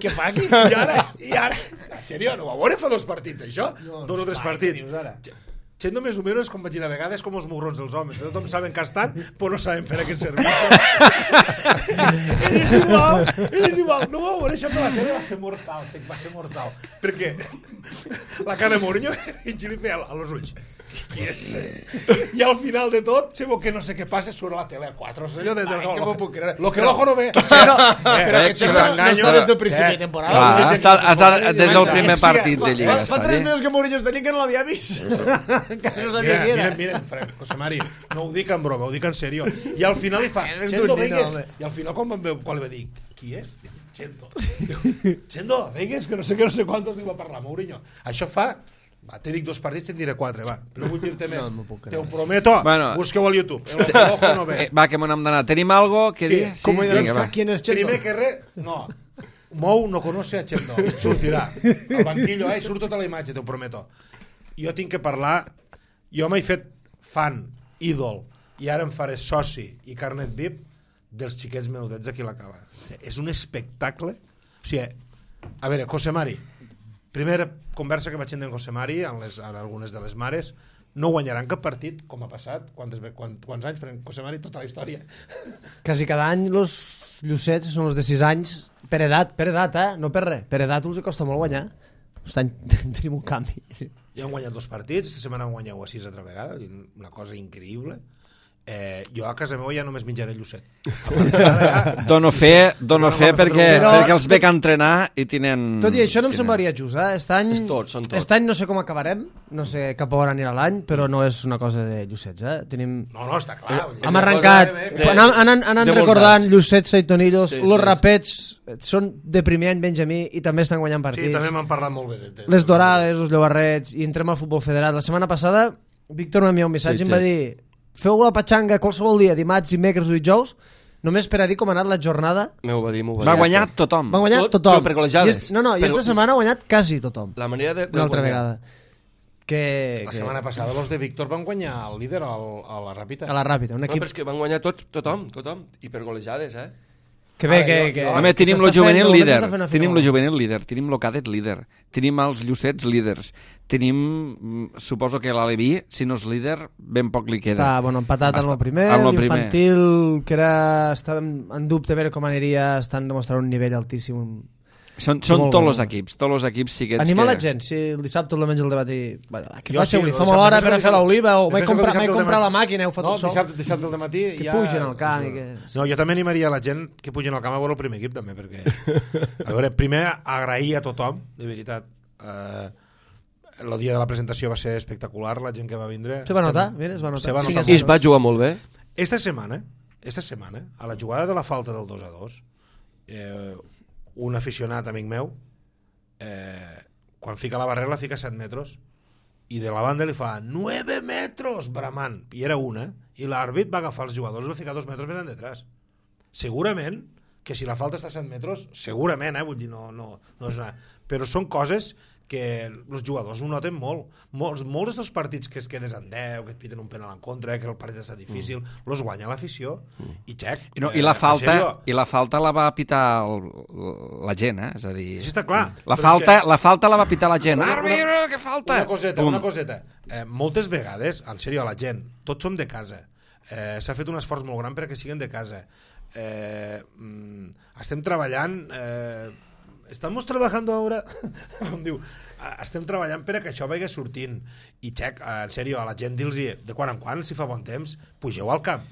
Què fa aquí? I ara, i ara, en sèrio, no ho va veure fa dos partits, això? No, dos o tres va, partits. què dius ara? Ch- Chendo més o menys, com vaig dir a vegades, com els mugrons dels homes. Que tothom saben que estan, però no saben per a què servir. Ell és igual, ell és igual. No ho vau veure, això per la tele va ser mortal, xec, va ser mortal. Perquè la cara de Mourinho i li feia a los ulls. Qui és? I al final de tot, sé que no sé què passa, surt a la tele a quatre. O sigui, allò de, de, Ai, que m'ho puc creure. Lo que l'ojo no ve. Però, Eh, però eh, que que Chendo no s'enganyo. està des del principi Eh, de temporada. Clar, Des ha de- estat- ha estat des del Mira, primer sí, partit fa- de Lliga, Fa està tres allí. mesos que Mourinho està dient que no l'havia vist. Encara no sabia Mira, qui mira, era. mira, Fran, José Mari, no ho dic en broma, ho dic en sèrio. I al final li fa, Eres Chendo, un nino, veigues. home. I al final, quan, vam veure, quan li va dir, qui és? Diu, Chendo. Diu, Chendo, veigues, que no sé què, no sé quantos li va parlar Mourinho. Això fa... Va, te dic dos partits, te'n diré quatre, va. No vull dir-te més. No, no m'ho puc creure. Te ho prometo. Bueno. Busqueu al YouTube. El ojo no ve. Eh, va, que m'ho n'hem d'anar. Tenim algo que Sí, dir? Com ho he Vinga, va. Qui és Chendo? Primer que res, no. Mou no conoce a Chendo. Sortirà. Al banquillo, eh? Surt tota la imatge, te ho prometo. Jo tinc que parlar... Jo m'he fet fan, ídol, i ara em faré soci i carnet V I P dels xiquets menudets d'aquí a la Cala. És un espectacle. O sigui, a veure, José Mari, primera conversa que vaig tenir amb José Mari, en, les, en algunes de les mares, no guanyaran cap partit, com ha passat. Quantes, quant, quants anys farem José Mari? Tota la història. Quasi cada any els llucets són els de sis anys, per edat, per edat, eh? No per res. Per edat els costa molt guanyar. Aquest any tenim un canvi. Ja han guanyat dos partits, aquesta setmana han guanyat a sis altra vegada, una cosa increïble. Eh, jo a casa meva ja només menjaré llucet. Dono fe, dono fe perquè, Però- perquè els veig a entrenar i tenen... Tot i això no em tenen- semblaria just, eh? Aquest any, És tot, són tot. aquest any no sé com acabarem, no sé cap on anirà l'any, però no és una cosa de llucets, eh? Tenim... No, no, està clar. Hem arrencat, de- anant, anant, anant de molts recordant anys. llucets, saitonillos, Sí, los sí, rapets són de primer any Benjamí i també estan guanyant partits. Sí, també m'han parlat molt bé. De, de, Les dorades, els llobarrets, i entrem al futbol federat. La setmana passada, Víctor m'envia un missatge Sí, i em va sí. dir: feu la patxanga qualsevol dia, dimarts, dimecres o dijous, només per a dir com ha anat la jornada. M'ho va dir, m'ho va dir. Va guanyar tothom. Va guanyar Tot, tothom. però per golejades. I és, no, no, i Però- esta setmana ha guanyat quasi tothom. La manera de, de Una altra guanyar. vegada. Que, La que, setmana passada els de Víctor van guanyar el líder al, a la Ràpita. a la ràpida, un No, equip però és que van guanyar tots, tothom, tothom. I per golejades, eh? que bé, Ara, que, jo- que, jo- Home, que tenim s'està lo juvenil fent, líder, s'està fent una tenim feina lo bona. juvenil líder, tenim lo cadet líder, tenim els llucets líders, tenim, mm, suposo que l'Aleví, si no és líder, ben poc li queda. Està, bueno, empatat amb Està- el primer, amb lo primer. l'infantil, que era, estava en dubte a veure com aniria, estan demostrant un nivell altíssim. Són, són Molt tots bo. els equips, tots els equips xiquets Anima que... la gent, si el dissabte o el diumenge el debat i... Bueno, què Jo faig sí, avui? el Fa molt dissabte- hora penso per a que fer el- l'oliva o jo m'he penso que el comprat, dissabte m'he al comprat la dematí- màquina, heu fotut No, el sol. dissabte, dissabte al matí Que ja... pugen al camp i que... No, jo també animaria la gent que pugen al camp a veure el primer equip, també, perquè... A veure, primer, agrair a tothom, de veritat. Eh, el dia de la presentació va ser espectacular, la gent que va vindre. Se va Estem- notar, mira, es va notar. Se va Cinc notar a I molt. es va jugar molt bé. Esta setmana, esta setmana, a la jugada de la falta del dos a dos, eh, un aficionat, amic meu, eh, quan fica la barrera la fica a set metres i de la banda li fa nueve metros, bramant, i era una, i l'àrbit va agafar els jugadors i va ficar dos metres més endetrás. Segurament que si la falta està a set metres, segurament, eh, vull dir, no, no, no és una... Però són coses que els jugadors ho noten molt. Molts, molts dels partits que es quedes en deu, que et piten un penal en contra, que el partit està difícil, mm. los guanya l'afició. Mm. I xec. I, no, eh, i, la en falta, sèrio, I la falta la va pitar el, la gent, eh? És a dir... Sí, està clar. La Però és falta, que- la falta la va pitar la gent. Una- Àrbitre, una- que falta! Una coseta, Pum. una coseta. Eh, moltes vegades, en sèrio, a la gent, tots som de casa. Eh, S'ha fet un esforç molt gran perquè siguin de casa. Eh, mm, estem treballant... Eh, estamos trabajando ahora... Com diu, eh, estem treballant per a que això vagi sortint. I, xec, eh, en sèrio, a la gent dir-los de quan en quan, si fa bon temps, pugeu al camp.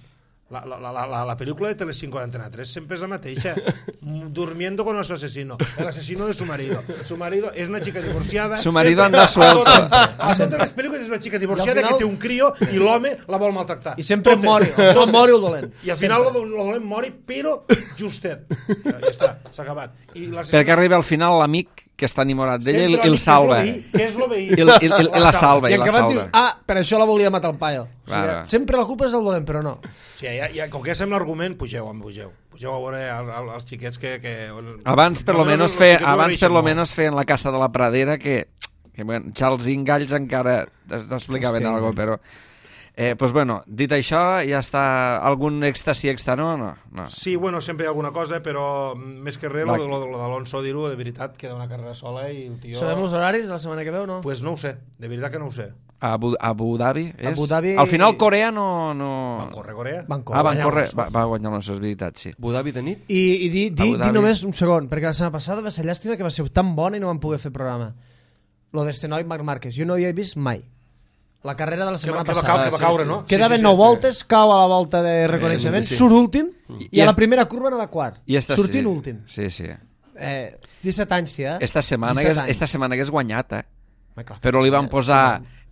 La, la, la, la, la pel·lícula de Telecinco d'Antena tres sempre és la mateixa. Durmiendo con su asesino. El asesino de su marido. Su marido es una chica divorciada. Su marido Sempre- anda suelto. A totes les pel·lícules és una chica divorciada I al final- que té un crio i l'home la vol maltractar. I sempre Totes. mori, no mori el dolent. I al final el dolent mori, però justet. Ja, ja està, s'ha acabat. I l'assassí- Perquè arriba al final l'amic que està enamorat d'ella i, Sempre i el l'amic salva. Que és lo veí. I, el, i, i, i la salva, I i en la acabat salva. dius, ah, per això la volia matar el paio. O sigui, Va, va. sempre la culpa és del dolent, però no. Sí, ja, ja, com que ja sembla l'argument, pugeu, home, pugeu. Pugeu a veure el, el, els xiquets que... que Abans, per lo Almenys menos, els fe, xiquets ho abans per agraeixen lo molt. menos feien la Casa de la Pradera que, que bueno, Charles Ingalls encara t'explicaven Hòstia, alguna cosa, però... Eh, pues bueno, dit això, ja està algun èxtasi extra, no? No, no. Sí, bueno, sempre hi ha alguna cosa, però més que res, Va. lo, lo, lo d'Alonso dir-ho, de veritat, queda una carrera sola i el tio... Sabem els horaris de la setmana que ve o no? Pues no ho sé, de veritat que no ho sé. A Abu, Abu Dhabi, és? Abu Dhabi- Al final Corea no... no... Van córrer Corea? Van Ah, van guanyar córrer, Alonso. va, va guanyar l'Alonso, és veritat, sí. Abu Dhabi de nit. I, i di, di, Abu di Dhabi. només un segon, perquè la setmana passada va ser llàstima que va ser tan bona i no vam poder fer programa. Lo d'este noi Marc Márquez, jo no hi he vist mai. La carrera de la Que setmana va, que va, passada. cau, que va sí, caure, sí. no? Quedaven nou voltes, cau a la volta de reconeixement, Sí, sí, sí. surt últim i, I a la es- primera curva no va quart. I esta, Sortint sí. últim. Sí, sí. Eh, disset anys, sí, eh? Esta setmana, disset hagués, anys. esta setmana hagués guanyat, eh? Home, clar, Però li van eh, posar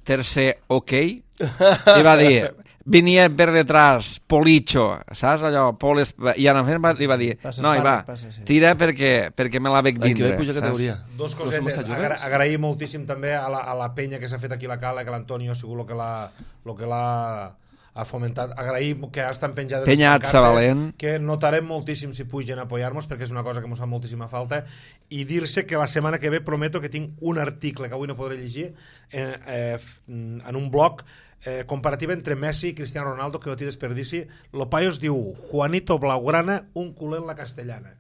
tercer ok i va dir, venia per detrás Policho, saps allò? Pol es... I en fet li va dir, Passa no, i va, Espanya, passa, sí. tira perquè, perquè me la veig L'any que vindre. ve puja saps? categoria. Dos No som massa cosetes. joves. Agra agrair moltíssim també a la, a la penya que s'ha fet aquí a la Cala, que l'Antonio ha sigut el que l'ha lo que l'ha ha fomentat. Agrair que estan penjades Penya les pancartes, Atzavalent. que notarem moltíssim si pugen a apoyar-nos, perquè és una cosa que ens fa moltíssima falta, i dir-se que la setmana que ve prometo que tinc un article que avui no podré llegir eh, eh, en un blog eh, comparativa entre Messi i Cristiano Ronaldo, que no té desperdici. Lo paio es diu Juanito Blaugrana, un culer en la castellana.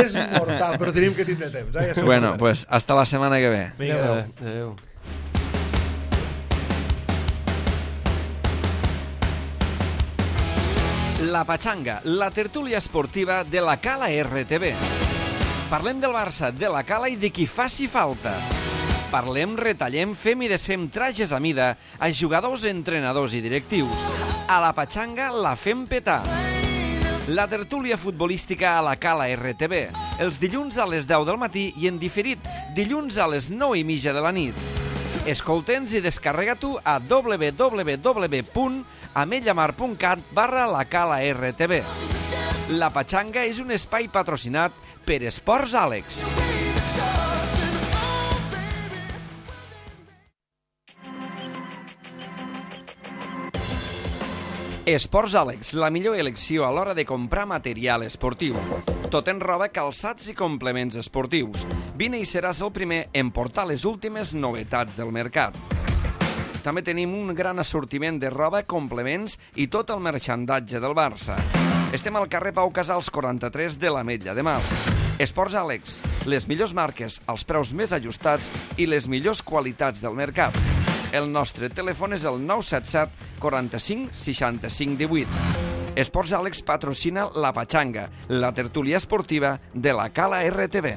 És mortal, però tenim que tindre temps. Eh? Ja bueno, pues hasta la setmana que ve. Vinga, adéu. Adéu. La Pachanga, la tertúlia esportiva de la Cala R T V. Parlem del Barça, de la Cala i de qui faci falta. Parlem, retallem, fem i desfem trajes a mida a jugadors, entrenadors i directius. A la Pachanga la fem petar. La tertúlia futbolística a la Cala R T V. Els dilluns a les deu del matí i en diferit, dilluns a les nou i mitja de la nit. Escolta'ns i descarrega-t'ho a w w w punt ametlllamar punt cat barra la Cala R T V. La Pachanga és un espai patrocinat per Esports Àlex. Esports Àlex, la millor elecció a l'hora de comprar material esportiu. Tot en roba, calçats i complements esportius. Vine i seràs el primer en portar les últimes novetats del mercat. També tenim un gran assortiment de roba, complements i tot el merchandatge del Barça. Estem al carrer Pau Casals quaranta-tres de l'Ametlla de Mar. Esports Àlex, les millors marques, els preus més ajustats i les millors qualitats del mercat. El nostre telèfon és el nou set set quaranta-cinc seixanta-cinc divuit. Esports Àlex patrocina la Pachanga, la tertúlia esportiva de la Cala R T V.